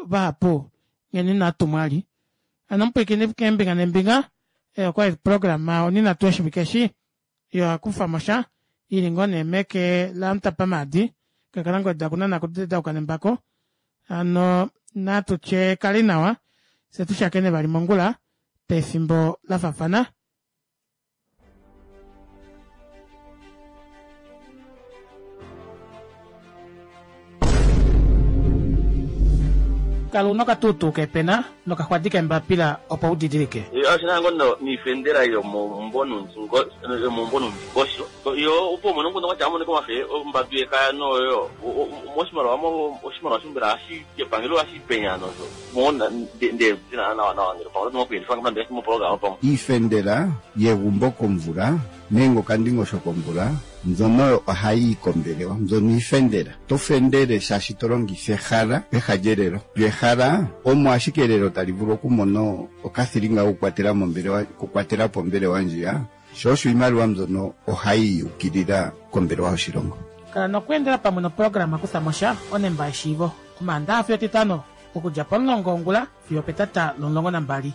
vahapu ngeno inatumwa ali hano omupwiikini keembinga neembinga okwali oprograma oninhatu yoshivike eshi yohakufamosha ili ngoo nee meke lamutapa maadi kakalangweda okunana kudedauka nembako hano natutye kali nawa fye tushakene vali mongula pefimbo lafafana. Kala una okatuutuu kepena nokaxwadi kembapila opo udidilike. Oshina ngoo niifendela yomombonundingosho yo opo umone omukundu kwatya amonike omafe ombadu yekaya noyo moshimaliwa oshimaliwa shimbela epangelo ohashi penya nosho ndee nawa nawa ngele pamwe oto okuyelifa nande moprograma pamwe Iifendela yegumbo komvula nenge okandingosho komvula mbyono ohayi yi kombelewa mbyono iifendela. To fendele shaashi to longitha ehala peha lyelelo. Lyo ehala omo ashike elelo tali vulu okumona okathilinga kokukwatela mombelewa okukwatela po ombelewa ndjiya sho osho iimaliwa mbyono ohayi ukilila kombelewa yoshilongo. Kala nokweendela pamwe noprograma Kuthamosha onemba yeshiivo Omaandaxa fiyo Etitano okudja pomulongo wongula fiyo opetata lomulongo nambali.